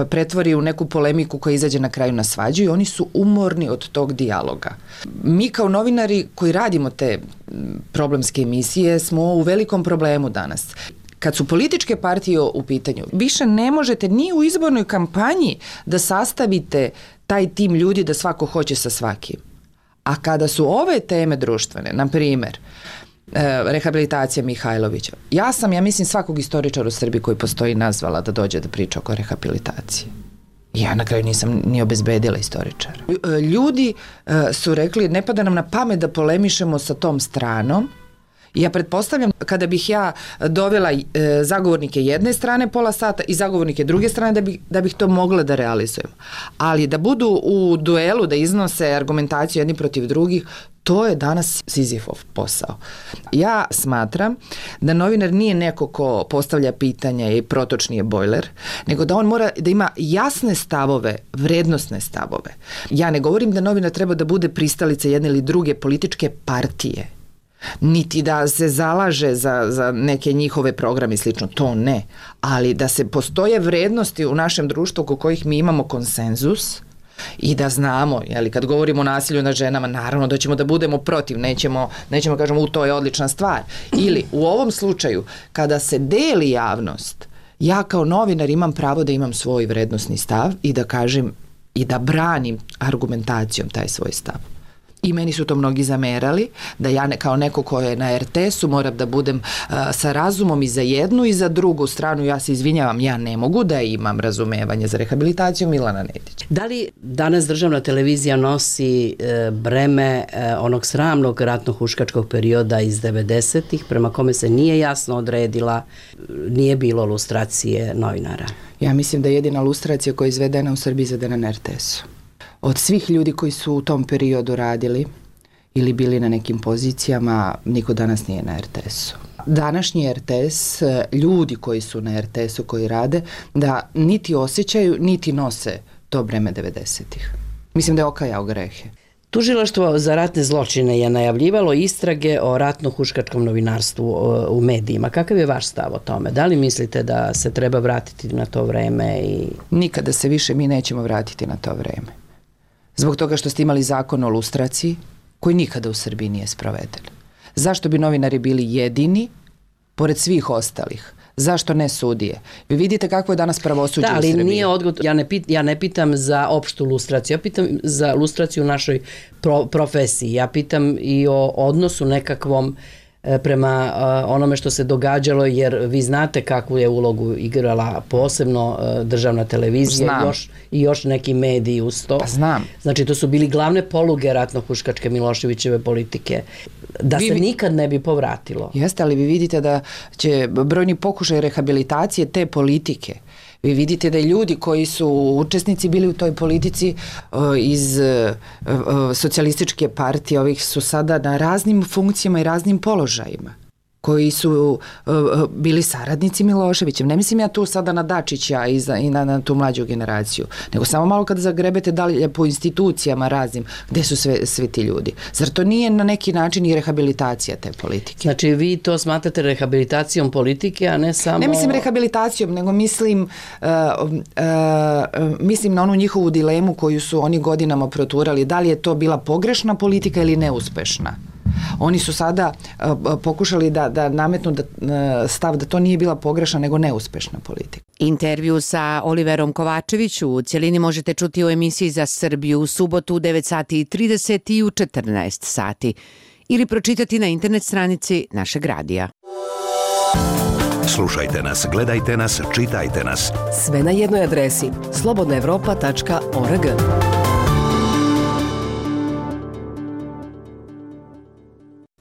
pretvori u neku polemiku koja izađe na kraju na svađu i oni su umorni od tog dijaloga. Mi kao novinari koji radimo te problemske emisije smo u velikom problemu danas. Kad su političke partije u pitanju, više ne možete ni u izbornoj kampanji da sastavite taj tim ljudi da svako hoće sa svakim. A kada su ove teme društvene, na primjer, e, rehabilitacija Mihajlovića, ja sam, ja mislim, svakog istoričara u Srbiji koji postoji nazvala da dođe da priča oko rehabilitacije. Ja na kraju nisam ni obezbedila istoričara. Ljudi e, su rekli, ne pada nam na pamet da polemišemo sa tom stranom. Ja pretpostavljam, kada bih ja dovela e, zagovornike jedne strane pola sata i zagovornike druge strane, da, bi, da bih to mogla da realizujem. Ali da budu u duelu, da iznose argumentaciju jedni protiv drugih, to je danas Sizifov posao. Ja smatram da novinar nije neko ko postavlja pitanja i protočni je bojler, nego da on mora da ima jasne stavove, vrednosne stavove. Ja ne govorim da novinar treba da bude pristalica jedne ili druge političke partije, niti da se zalaže za, za neke njihove programe i slično, to ne. Ali da se postoje vrednosti u našem društvu oko kojih mi imamo konsenzus i da znamo, jeli, kad govorimo o nasilju nad ženama, naravno da ćemo da budemo protiv, nećemo, nećemo kažemo u to je odlična stvar. Ili u ovom slučaju, kada se deli javnost, ja kao novinar imam pravo da imam svoj vrednosni stav i da kažem i da branim argumentacijom taj svoj stav. I meni su to mnogi zamerali, da ja ne, kao neko ko je na er te esu moram da budem uh, sa razumom i za jednu i za drugu stranu. Ja se izvinjavam, ja ne mogu da imam razumevanje za rehabilitaciju Milana Nedića. Da li danas državna televizija nosi e, breme e, onog sramnog ratno-huškačkog perioda iz devedesetih, prema kome se nije jasno odredila, nije bilo lustracije novinara? Ja mislim da je jedina lustracija koja je izvedena u Srbiji izvedena na er te esu. Od svih ljudi koji su u tom periodu radili ili bili na nekim pozicijama, niko danas nije na er te esu. Današnji er te es, ljudi koji su na er te esu, koji rade, da niti osjećaju, niti nose to breme devedesetih. Mislim da je okajao grehe. Tužilaštvo za ratne zločine je najavljivalo istrage o ratno-huškačkom novinarstvu u medijima. Kakav je vaš stav o tome? Da li mislite da se treba vratiti na to vreme? I... Nikada se više mi nećemo vratiti na to vreme. Zbog toga što ste imali zakon o lustraciji, koji nikada u Srbiji nije sproveden. Zašto bi novinari bili jedini, pored svih ostalih? Zašto ne sudije? Vi vidite kako je danas pravosuđe u Srbiji. Da, ali nije odgovor. Ja ne, pit, ja ne pitam za opštu lustraciju, ja pitam za lustraciju u našoj pro, profesiji. Ja pitam i o odnosu nekakvom prema onome što se događalo, jer vi znate kakvu je ulogu igrala posebno državna televizija i još, i još neki mediji uz to. Pa znam. Znači, to su bili glavne poluge ratno-huškačke Miloševićeve politike. Da vi, se nikad ne bi povratilo. Jeste, ali vi vidite da će brojni pokušaj rehabilitacije te politike. Vi vidite da ljudi koji su učesnici bili u toj politici uh, iz uh, uh, socijalističke partije, ovih su sada na raznim funkcijama i raznim položajima, koji su uh, bili saradnici Miloševića. Ne mislim ja tu sada na Dačića i, za, i na, na tu mlađu generaciju, nego samo malo kad zagrebete dalje po institucijama raznim, gde su sve, svi ti ljudi. Zar to nije na neki način i rehabilitacija te politike? Znači vi to smatrate rehabilitacijom politike, a ne samo... Ne mislim rehabilitacijom, nego mislim, uh, uh, mislim na onu njihovu dilemu koju su oni godinama proturali, da li je to bila pogrešna politika ili neuspešna. Oni su sada pokušali da, da nametnu da, stav da to nije bila pogrešna nego neuspešna politika. Intervju sa Oliverom Kovačeviću u cjelini možete čuti u emisiji Za Srbiju u subotu u devet sati i trideset i u četrnaest sati ili pročitati na internet stranici našeg radija. Slušajte nas, gledajte nas, čitajte nas. Sve na jednoj adresi slobodna evropa tačka org.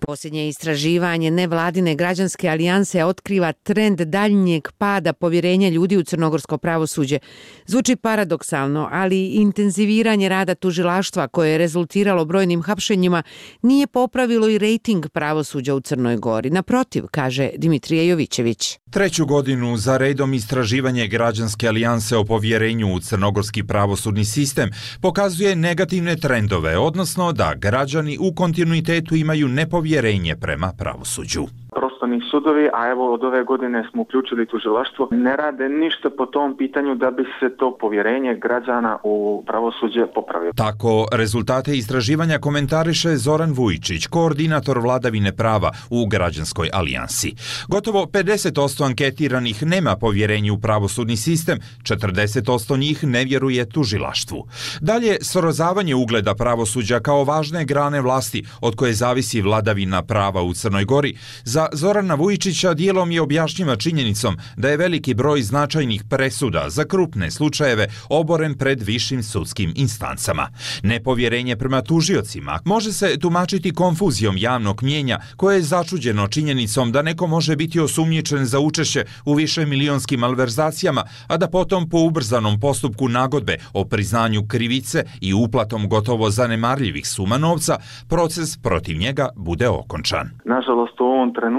Posljednje istraživanje nevladine građanske alijanse otkriva trend daljnjeg pada povjerenja ljudi u crnogorsko pravosuđe. Zvuči paradoksalno, ali intenziviranje rada tužilaštva koje je rezultiralo brojnim hapšenjima nije popravilo i rejting pravosuđa u Crnoj Gori. Naprotiv, kaže Dimitrije Jovićević. Treću godinu za redom istraživanje građanske alijanse o povjerenju u crnogorski pravosudni sistem pokazuje negativne trendove, odnosno da građani u kontinuitetu imaju nepovjerenje prema pravosuđu. Prostorni sudovi, a evo od ove godine smo uključili tužilaštvo, ne rade ništa po tom pitanju da bi se to povjerenje građana u pravosuđe popravilo. Tako rezultate istraživanja komentariše Zoran Vujičić, koordinator vladavine prava u građanskoj alijansi. Gotovo pedeset posto anketiranih nema povjerenje u pravosudni sistem, četrdeset posto njih ne vjeruje tužilaštvu. Dalje, srozavanje ugleda pravosuđa kao važne grane vlasti od koje zavisi vladavina prava u Crnoj Gori, za Zorana Vujičića dijelom je objašnjiva činjenicom da je veliki broj značajnih presuda za krupne slučajeve oboren pred višim sudskim instancama. Nepovjerenje prema tužiocima može se tumačiti konfuzijom javnog mnijenja koje je začuđeno činjenicom da neko može biti osumnjičen za učešće u više milionskim malverzacijama, a da potom po ubrzanom postupku nagodbe o priznanju krivice i uplatom gotovo zanemarljivih suma novca, proces protiv njega bude okončan. Nažalost, u ovom trenutku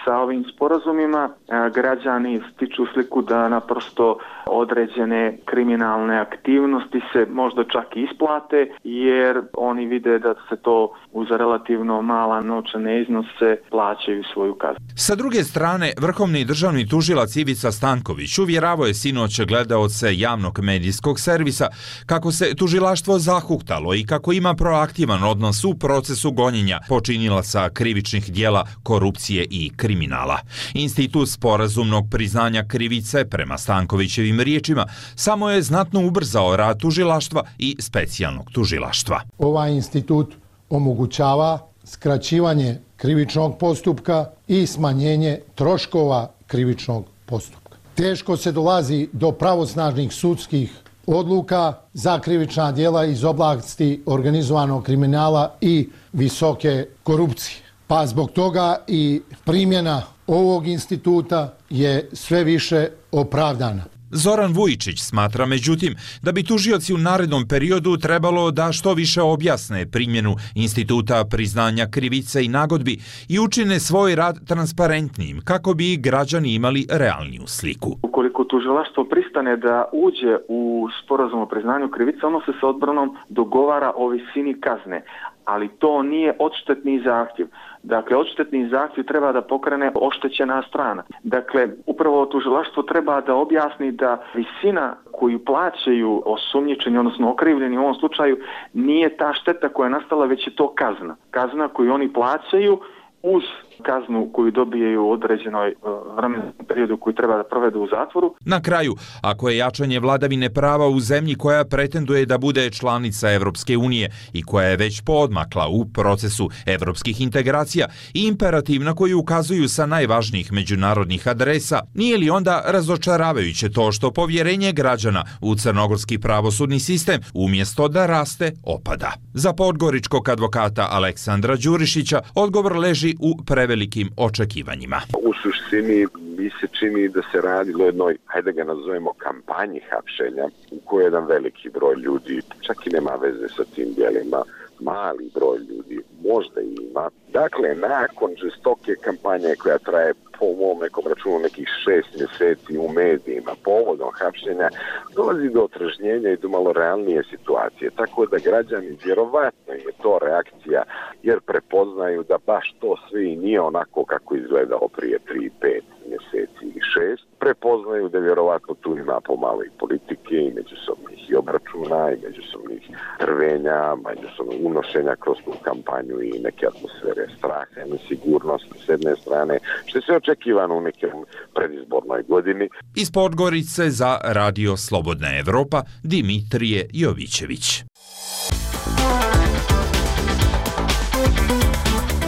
sa ovim sporazumima građani stiču sliku da naprosto određene kriminalne aktivnosti se možda čak i isplate, jer oni vide da se to uz relativno mala novčane iznose plaćaju svoju kaznu. Sa druge strane, vrhovni državni tužilac Ivica Stanković uvjeravao je sinoć gledaoce javnog medijskog servisa kako se tužilaštvo zahuktalo i kako ima proaktivan odnos u procesu gonjenja počinilaca krivičnih dijela korupcije i kriminala. Institut sporazumnog priznanja krivice, prema Stankovićevim riječima, samo je znatno ubrzao rad tužilaštva i specijalnog tužilaštva. Ovaj institut omogućava skraćivanje krivičnog postupka i smanjenje troškova krivičnog postupka. Teško se dolazi do pravosnažnih sudskih odluka za krivična djela iz oblasti organizovanog kriminala i visoke korupcije. Pa zbog toga i primjena ovog instituta je sve više opravdana. Zoran Vujičić smatra međutim da bi tužioci u narednom periodu trebalo da što više objasne primjenu instituta priznanja krivice i nagodbi i učine svoj rad transparentnim kako bi građani imali realniju sliku. Ukoliko tužilaštvo pristane da uđe u sporazum o priznanju krivice, ono se sa odbranom dogovara o visini kazne, ali to nije odštetni zahtjev. Dakle, odštetni zahtjev treba da pokrene oštećena strana. Dakle, upravo tužilaštvo treba da objasni da visina koju plaćaju osumnjičeni, odnosno okrivljeni u ovom slučaju, nije ta šteta koja je nastala, već je to kazna. Kazna koju oni plaćaju uz kaznu koju dobijaju u određenoj vremenskom periodu koju treba da provedu u zatvoru. Na kraju, ako je jačanje vladavine prava u zemlji koja pretenduje da bude članica Evropske unije i koja je već poodmakla u procesu evropskih integracija i imperativ na koji ukazuju sa najvažnijih međunarodnih adresa, nije li onda razočaravajuće to što povjerenje građana u crnogorski pravosudni sistem umjesto da raste, opada? Za podgoričkog advokata Aleksandra Đurišića odgovor leži u prevelikim očekivanjima. U suštini mi se čini da se radi o jednoj, hajde ga nazovemo, kampanji hapšenja u kojoj jedan veliki broj ljudi, čak i nema veze sa tim djelima, mali broj ljudi možda ima. Dakle, nakon žestoke kampanje koja traje po mom nekom računu nekih šest mjeseci u medijima povodom hapšenja, dolazi do otržnjenja i do malo realnije situacije. Tako da građani, vjerovatno je to reakcija, jer prepoznaju da baš to sve i nije onako kako izgledalo prije tri pet mjeseci ili šest, prepoznaju da vjerovatno tu ima pomalo i politike i međusobnih i obračuna i međusobnih trvenja, međusobnog unošenja kroz tu kampanju i neke atmosfere straha i nesigurnosti s jedne strane, što je sve očekivano u nekom predizbornoj godini. Iz Podgorice za Radio Slobodna Evropa Dimitrije Jovićević.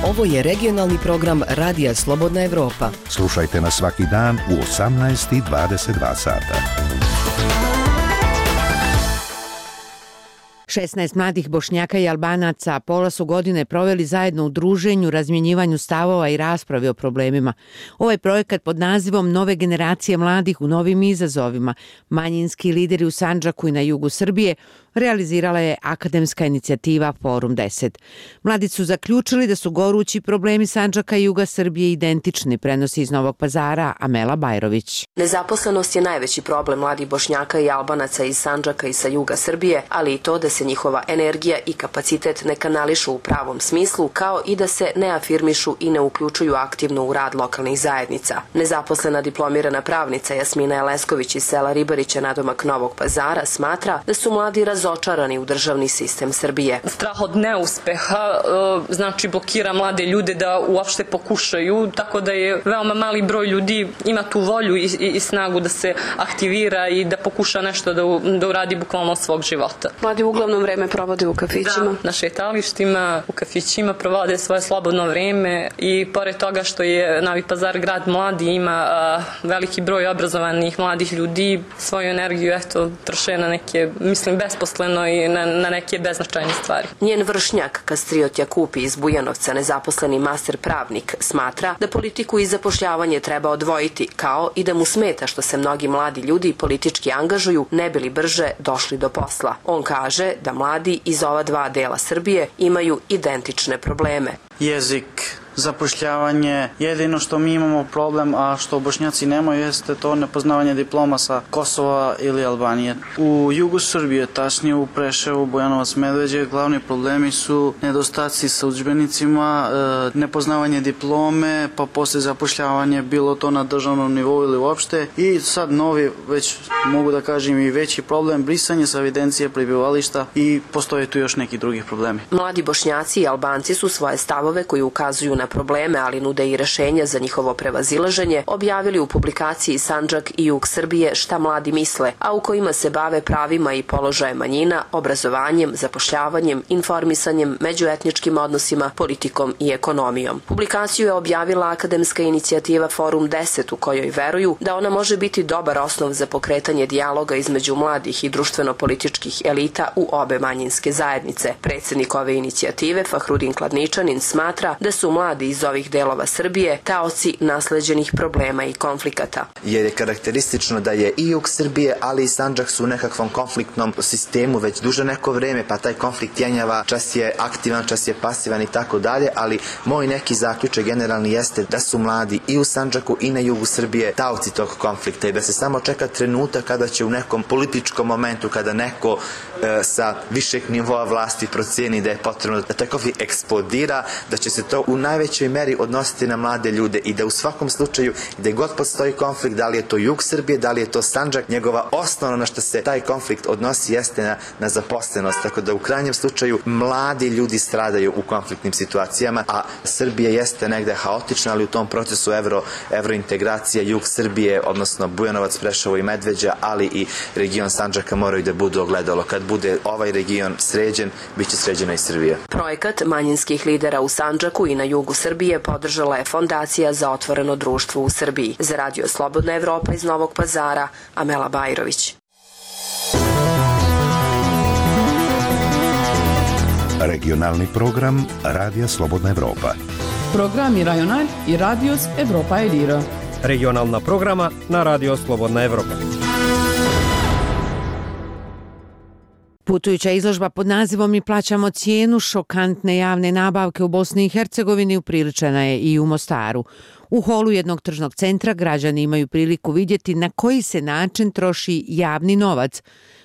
Ovo je regionalni program Radija Slobodna Evropa. Slušajte nas svaki dan u osamnaest i dvadeset dva sata. šesnaest mladih Bošnjaka i Albanaca pola su godine proveli zajedno u druženju, razmjenjivanju stavova i raspravi o problemima. Ovaj projekat pod nazivom Nove generacije mladih u novim izazovima, manjinski lideri u Sandžaku i na jugu Srbije, realizirala je akademska inicijativa Forum deset. Mladi su zaključili da su gorući problemi Sandžaka i juga Srbije identični, prenosi iz Novog Pazara Amela Bajrović. Nezaposlenost je najveći problem mladih Bošnjaka i Albanaca iz Sandžaka i sa juga Srbije, ali i to da se njihova energija i kapacitet ne kanališu u pravom smislu, kao i da se ne afirmišu i ne uključuju aktivno u rad lokalnih zajednica. Nezaposlena diplomirana pravnica Jasmina Elesković iz sela Ribarića nadomak Novog Pazara smatra da su mladi razočarani u državni sistem Srbije. Strah od neuspeha znači blokira mlade ljude da uopšte pokušaju, tako da je veoma mali broj ljudi ima tu volju i, i, i snagu da se aktivira i da pokuša nešto da, da uradi bukvalno od svog života. Mladi uglavnom vreme provode u kafićima. Da, na šetalištima, u kafićima provode svoje slobodno vreme i pored toga što je Novi Pazar grad mladi, ima uh, veliki broj obrazovanih mladih ljudi, svoju energiju eto troše na neke, mislim, besposleno i na, na neke beznačajne stvari. Njen vršnjak Kastriot Jakupi iz Bujanovca, nezaposleni master pravnik, smatra da politiku i zapošljavanje treba odvojiti, kao i da mu smeta što se mnogi mladi ljudi politički angažuju ne bi li brže došli do posla. On kaže da mladi iz ova dva dela Srbije imaju identične probleme. Jezik, zapošljavanje, jedino što mi imamo problem, a što Bošnjaci nemaju, jeste to nepoznavanje diploma sa Kosova ili Albanije. U jugu Srbije, tačnije u Preševu, Bujanovac, Medveđe, glavni problemi su nedostaci sa udžbenicima, nepoznavanje diplome, pa posle zapošljavanje, bilo to na državnom nivou ili uopšte. I sad novi, već mogu da kažem i veći problem, brisanje sa evidencije prebivališta i postoje tu još neki drugi problemi. Mladi Bošnjaci i Albanci su svoje stavove koji ukazuju na probleme, ali nude i rešenja za njihovo prevazilaženje, objavili u publikaciji Sandžak i jug Srbije šta mladi misle, a u kojima se bave pravima i položajem manjina, obrazovanjem, zapošljavanjem, informisanjem, međuetničkim odnosima, politikom i ekonomijom. Publikaciju je objavila akademska inicijativa Forum deset, u kojoj veruju da ona može biti dobar osnov za pokretanje dijaloga između mladih i društveno-političkih elita u obe manjinske zajednice. Predsednik ove inicijative, Fahrudin Kladničanin, smatra da su mladi iz ovih delova Srbije taoci nasleđenih problema i konflikata. Jer je karakteristično da je i jug Srbije, ali i Sandžak su u nekakvom konfliktnom sistemu već duže neko vreme, pa taj konflikt jenjava, čas je aktivan, čas je pasivan i tako dalje, ali moj neki zaključak generalni jeste da su mladi i u Sandžaku i na jugu Srbije taoci tog konflikta i da se samo čeka trenutak kada će u nekom političkom momentu, kada neko e, sa višeg nivoa vlasti proceni da je potrebno da taj konflikt eksplodira, da će se to u najvećoj meri odnositi na mlade ljude i da u svakom slučaju gde god postoji konflikt, da li je to jug Srbije, da li je to Sandžak, njegova osnovna na što se taj konflikt odnosi jeste na, na zaposlenost, tako da u krajnjem slučaju mladi ljudi stradaju u konfliktnim situacijama, a Srbija jeste negde haotična, ali u tom procesu evro, evrointegracija jug Srbije, odnosno Bujanovac, Preševo i Medveđa, ali i region Sandžaka moraju da budu ogledalo. Kad bude ovaj region sređen, bit će sređena i Srbija. Projekat manjinskih lidera u Sandžaku i na jugu Srbije podržala je Fondacija za otvoreno društvo u Srbiji. Za Radio Slobodna Evropa iz Novog Pazara, Amela Bajrović. Regionalni program Radija Slobodna Evropa. Programi Rajonal i Radios Evropa Elira. Regionalna programa na Radio Slobodna Evropa. Putujuća izložba pod nazivom Mi plaćamo cijenu šokantne javne nabavke u Bosni i Hercegovini upriličena je i u Mostaru. U holu jednog tržnog centra građani imaju priliku vidjeti na koji se način troši javni novac.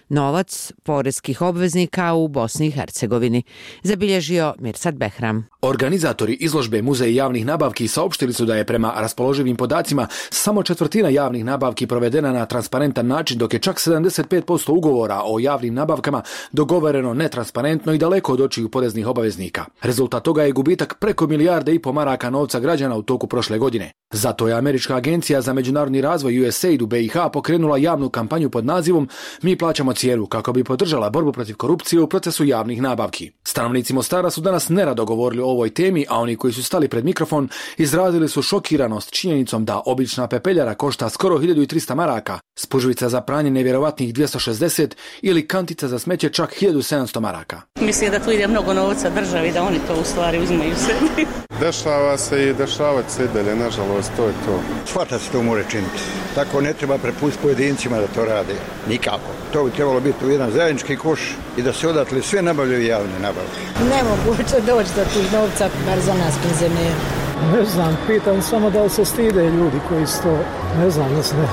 novac poreskih obveznika u Bosni i Hercegovini, zabilježio Mirsad Behram. Organizatori izložbe Muzej javnih nabavki saopštili su da je prema raspoloživim podacima samo četvrtina javnih nabavki provedena na transparentan način, dok je čak sedamdeset pet posto ugovora o javnim nabavkama dogovoreno netransparentno i daleko od očiju poreznih obaveznika. Rezultat toga je gubitak preko milijarde i po maraka novca građana u toku prošle godine. Zato je Američka agencija za međunarodni razvoj U S A I D u B i H pokrenula javnu kampanju pod nazivom Mi plaćamo cijenu kako bi podržala borbu protiv korupcije u procesu javnih nabavki. Stanovnici Mostara su danas nerado govorili o ovoj temi, a oni koji su stali pred mikrofon izrazili su šokiranost činjenicom da obična pepeljara košta skoro hiljadu trista maraka, spužvica za pranje nevjerovatnih dvjesto šezdeset ili kantica za smeće čak hiljadu sedamsto maraka. Mislim da tu ide mnogo novca državi, da oni to u stvari uzmaju sebi. Dešava se i dešavati se dalje, nažalost, to je to. Svata se to može činiti. Tako ne treba prepustiti pojedincima da to rade. Nikako. To bi trebalo biti u jedan zajednički koš i da se odatle sve nabavljaju javne nabavke. Nemoguće doći do tih novca, bar za nas penzionera. Ne znam, pitam samo da li se stide ljudi koji su to, ne znam, ne znam,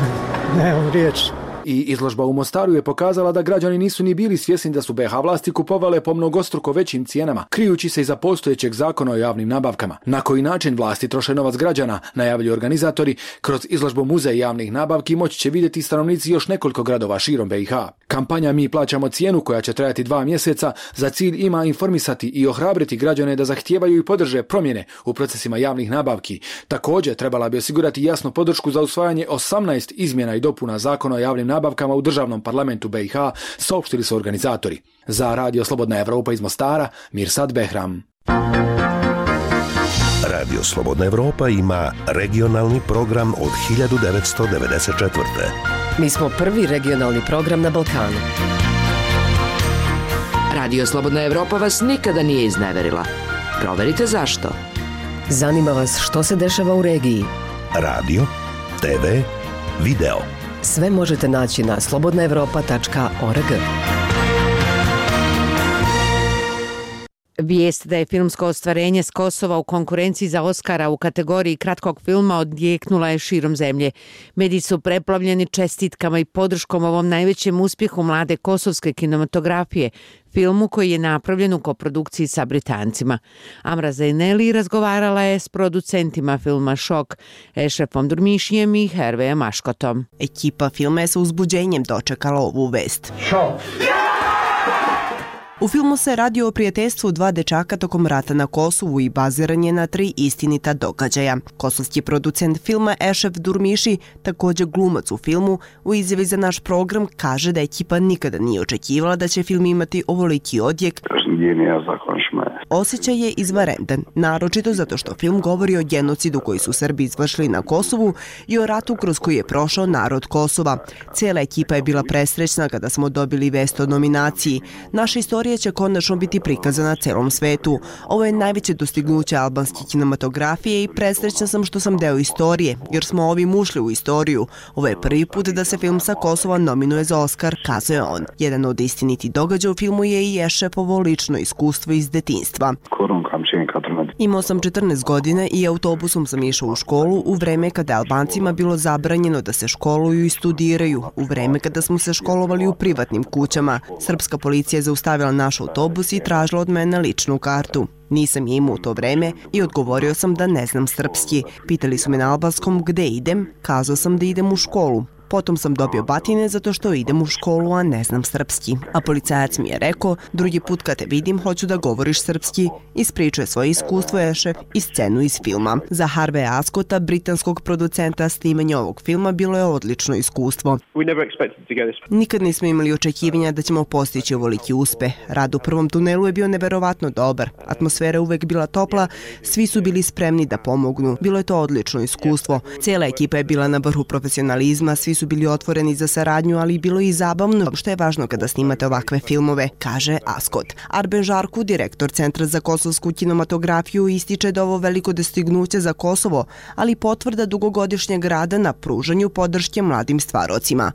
nemam riječ. I izložba u Mostaru je pokazala da građani nisu ni bili svjesni da su B H vlasti kupovale po mnogostruko većim cijenama, krijući se iza postojećeg zakona o javnim nabavkama. Na koji način vlasti troše novac građana, najavljuju organizatori, kroz izložbu Muzej javnih nabavki moći će vidjeti stanovnici još nekoliko gradova širom B i H. Kampanja Mi plaćamo cijenu, koja će trajati dva mjeseca, za cilj ima informisati i ohrabriti građane da zahtijevaju i podrže promjene u procesima javnih nabavki. Također trebala bi osigurati jasnu podršku za usvajanje osamnaest izmjena i dopuna zakona o javnim nabavkama u državnom parlamentu B i H, saopštili su organizatori. Za Radio Slobodna Evropa iz Mostara, Mirsad Behram. Radio Slobodna Evropa ima regionalni program od hiljadu devetsto devedeset četvrte. Mi smo prvi regionalni program na Balkanu. Radio Slobodna Evropa vas nikada nije izneverila. Proverite zašto. Zanima vas što se dešava u regiji. Radio, T V, video. Sve možete naći na slobodna evropa tačka org. Vijest da je filmsko ostvarenje s Kosova u konkurenciji za Oskara u kategoriji kratkog filma odjeknula je širom zemlje. Mediji su preplavljeni čestitkama i podrškom ovom najvećem uspjehu mlade kosovske kinematografije, filmu koji je napravljen u koprodukciji sa Britancima. Amra Zaineli razgovarala je s producentima filma Šok, Ešrefom Durmišijem i Hervejem Aškotom. Ekipa filma je sa uzbuđenjem dočekala ovu vest. Šok! U filmu se radi o prijateljstvu dva dečaka tokom rata na Kosovu i baziran je na tri istinita događaja. Kosovski producent filma Ešref Durmiši, također glumac u filmu, u izjavi za naš program kaže da ekipa nikada nije očekivala da će film imati ovoliki odjek. Osjećaj je izvanredan, naročito zato što film govori o genocidu koji su Srbi izvršili na Kosovu i o ratu kroz koji je prošao narod Kosova. Cijela ekipa je bila presrećna kada smo dobili vest o nominaciji. Naša istorija će konačno biti prikazana celom svetu. Ovo je najveće dostignuće albanske kinematografije i presrećna sam što sam deo istorije, jer smo ovim ušli u istoriju. Ovo je prvi put da se film sa Kosova nominuje za Oskar, kazuje on. Jedan od istinitih događaja u filmu je i Ešrefovo lično iskustvo iz detinjstva. Imao sam četrnaest godina i autobusom sam išao u školu u vreme kada je Albancima bilo zabranjeno da se školuju i studiraju, u vreme kada smo se školovali u privatnim kućama. Srpska policija je zaustavila naš autobus i tražila od mene ličnu kartu. Nisam je imao u to vreme i odgovorio sam da ne znam srpski. Pitali su me na albanskom gde idem, kazao sam da idem u školu. Potom sam dobio batine zato što idem u školu, a ne znam srpski. A policajac mi je rekao, drugi put kad te vidim, hoću da govoriš srpski. Ispričuje svoje iskustvo Ešref i scenu iz filma. Za Harveja Askota, britanskog producenta, snimanje ovog filma bilo je odlično iskustvo. Nikad nismo imali očekivanja da ćemo postići ovoliki uspeh. Rad u prvom tunelu je bio neverovatno dobar. Atmosfera uvek bila topla, svi su bili spremni da pomognu. Bilo je to odlično iskustvo. Cijela ekipa je bila na vrhu profesionalizma, svi su bili otvoreni za saradnju, ali bilo i zabavno, što je važno kada snimate ovakve filmove, kaže Askot. Arben Žarku, direktor Centra za kosovsku kinematografiju, ističe da ovo veliko dostignuće za Kosovo, ali potvrda dugogodišnjeg rada na pružanju podrške mladim stvarocima.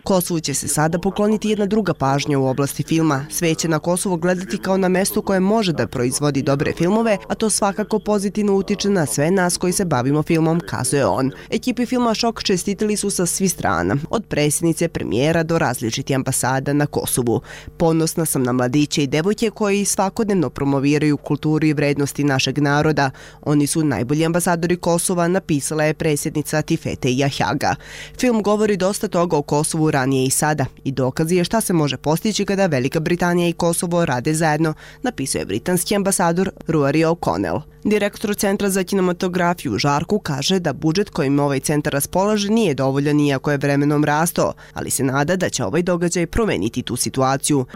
Kosovu će se sada pokloniti jedna druga pažnja u oblasti filma. Sve će na Kosovo gledati kao na mesto koje može da proizvodi dobre filmove, a to svakako pozitivno utiče na sve nas koji se bavimo filmom, kazuje on. Ekipi filma filma šok čestitili su sa svih strana, od predsjednice, premijera do različitih ambasada na Kosovu. Ponosna sam na mladiće i devojke koji svakodnevno promoviraju kulturu i vrednosti našeg naroda. Oni su najbolji ambasadori Kosova, napisala je predsjednica Tifete Jahjaga. Film govori dosta toga o Kosovu ranije i sada i dokaz je šta se može postići kada Velika Britanija i Kosovo rade zajedno, napisao je britanski ambasador Rory O'Connell. Direktor Centra za kinematografiju u Žarku kaže da budžet kojim ovaj centar raspolaže nije dovoljan iako je vremenom rastao, ali se nada da će ovaj događaj promeniti tu situaciju.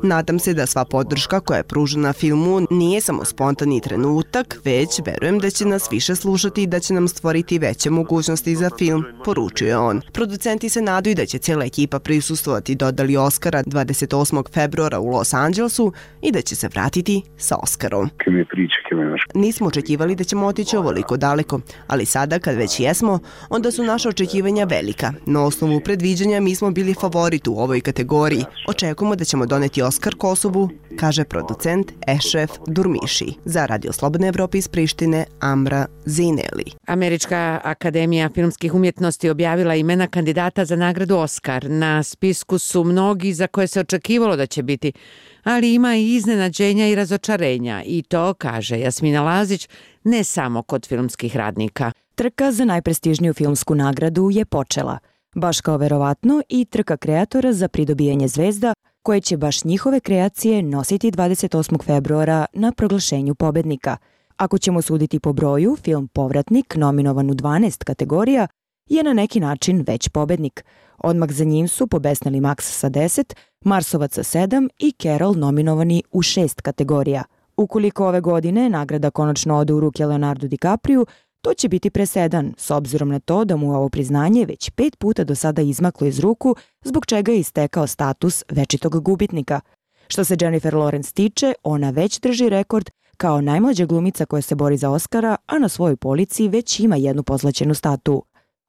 Nadam se da sva podrška koja je pružena filmu nije samo spontani trenutak, već verujem da će nas više slušati i da će nam stvoriti veće mogućnosti za film, poručio je on. Producenti se nadaju da će cijela ekipa prisustvovati dodali Oscara dvadeset osmog februara u Los Angelesu i da će se vratiti sa Oskarom. Nismo očekivali da ćemo otići ovoliko daleko, ali sada kad već jesmo, onda su naša očekivanja velika. Na osnovu predviđanja mi smo bili favorit u ovoj kategoriji. Očekujemo da ćemo doneti Oskar Kosovu, kaže producent Ešref Durmiši. Za Radio Slobodne Evrope iz Prištine, Amra Zineli. Američka akademija filmskih umjetnosti objavila imena kandidata za nagradu Oskar. Na spisku su mnogi za koje se očekivalo da će biti, ali ima i iznenađenja i razočarenja i to, kaže Jasmina Lazić, ne samo kod filmskih radnika. Trka za najprestižniju filmsku nagradu je počela, baš kao verovatno i trka kreatora za pridobijanje zvezda, koje će baš njihove kreacije nositi dvadeset osmog februara na proglašenju pobednika. Ako ćemo suditi po broju, film Povratnik, nominovan u dvanaest kategorija, je na neki način već pobednik. Odmah za njim su pobesnili Max sa deset, Marsovac sa sedam i Carol nominovani u šest kategorija. Ukoliko ove godine nagrada konačno ode u ruke Leonardo DiCapriju, to će biti presedan, s obzirom na to da mu ovo priznanje već pet puta do sada izmaklo iz ruku, zbog čega je istekao status večitog gubitnika. Što se Jennifer Lawrence tiče, ona već drži rekord kao najmlađa glumica koja se bori za Oskara, a na svojoj polici već ima jednu pozlaćenu statu.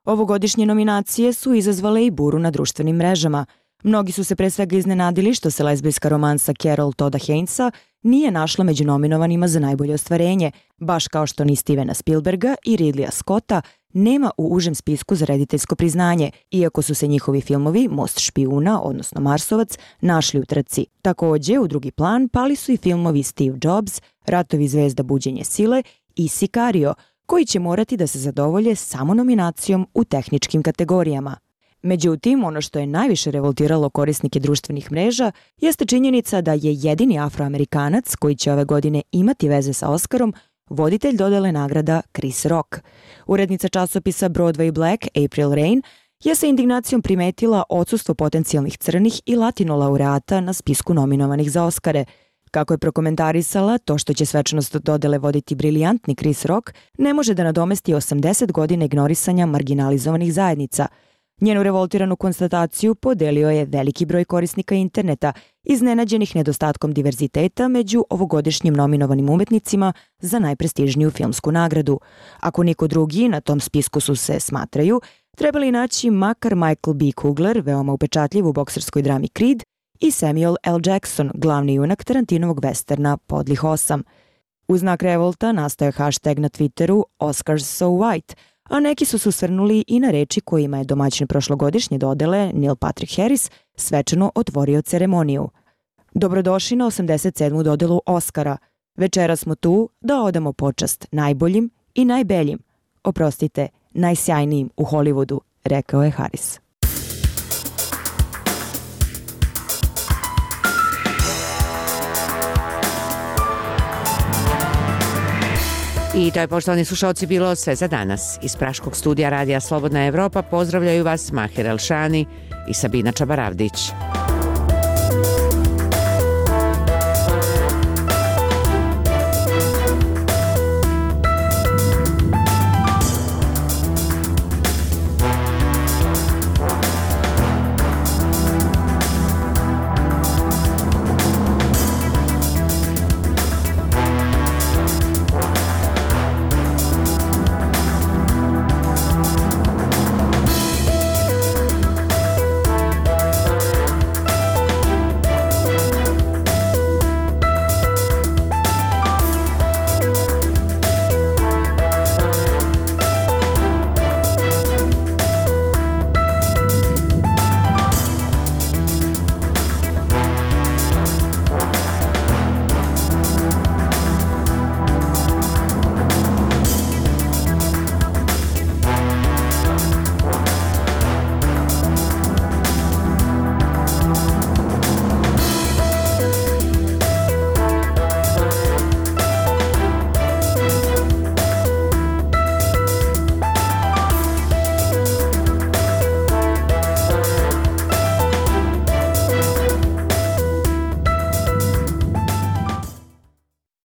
Ovogodišnje nominacije su izazvale i buru na društvenim mrežama. Mnogi su se pre svega iznenadili što se lezbijska romansa Carol Todda Hainesa nije našla među nominovanima za najbolje ostvarenje, baš kao što ni Stevena Spielberga i Ridleya Scotta nema u užem spisku za rediteljsko priznanje, iako su se njihovi filmovi Most špijuna, odnosno Marsovac, našli u trci. Također, u drugi plan pali su i filmovi Steve Jobs, Ratovi zvezda buđenje sile i Sicario, koji će morati da se zadovolje samo nominacijom u tehničkim kategorijama. Međutim, ono što je najviše revoltiralo korisnike društvenih mreža jeste činjenica da je jedini Afroamerikanac koji će ove godine imati veze sa Oskarom voditelj dodele nagrada Chris Rock. Urednica časopisa Broadway Black, April Rain, je sa indignacijom primetila odsustvo potencijalnih crnih i latino laureata na spisku nominovanih za Oskare. Kako je prokomentarisala, to što će svečanost dodele voditi briljantni Chris Rock ne može da nadomesti osamdeset godina ignorisanja marginalizovanih zajednica. Njenu revoltiranu konstataciju podelio je veliki broj korisnika interneta, iznenađenih nedostatkom diverziteta među ovogodišnjim nominovanim umetnicima za najprestižniju filmsku nagradu. Ako niko drugi na tom spisku su se, smatraju, trebali naći makar Michael B. Kugler, veoma upečatljiv u bokserskoj drami Creed, i Samuel L. Jackson, glavni junak Tarantinovog westerna Podlih osam. U znak revolta nastao je hashtag na Twitteru Oscars so white, a neki su se osvrnuli i na reči kojima je domaćin prošlogodišnje dodele Neil Patrick Harris svečano otvorio ceremoniju. Dobrodošli na osamdeset sedmu dodelu Oscara. Večera smo tu da odamo počast najboljim i najbeljim, oprostite, najsjajnijim u Hollywoodu, rekao je Harris. I to je, poštovani slušalci, bilo sve za danas. Iz Praškog studija Radija Slobodna Evropa pozdravljaju vas Mahir Elšani i Sabina Čabaravdić.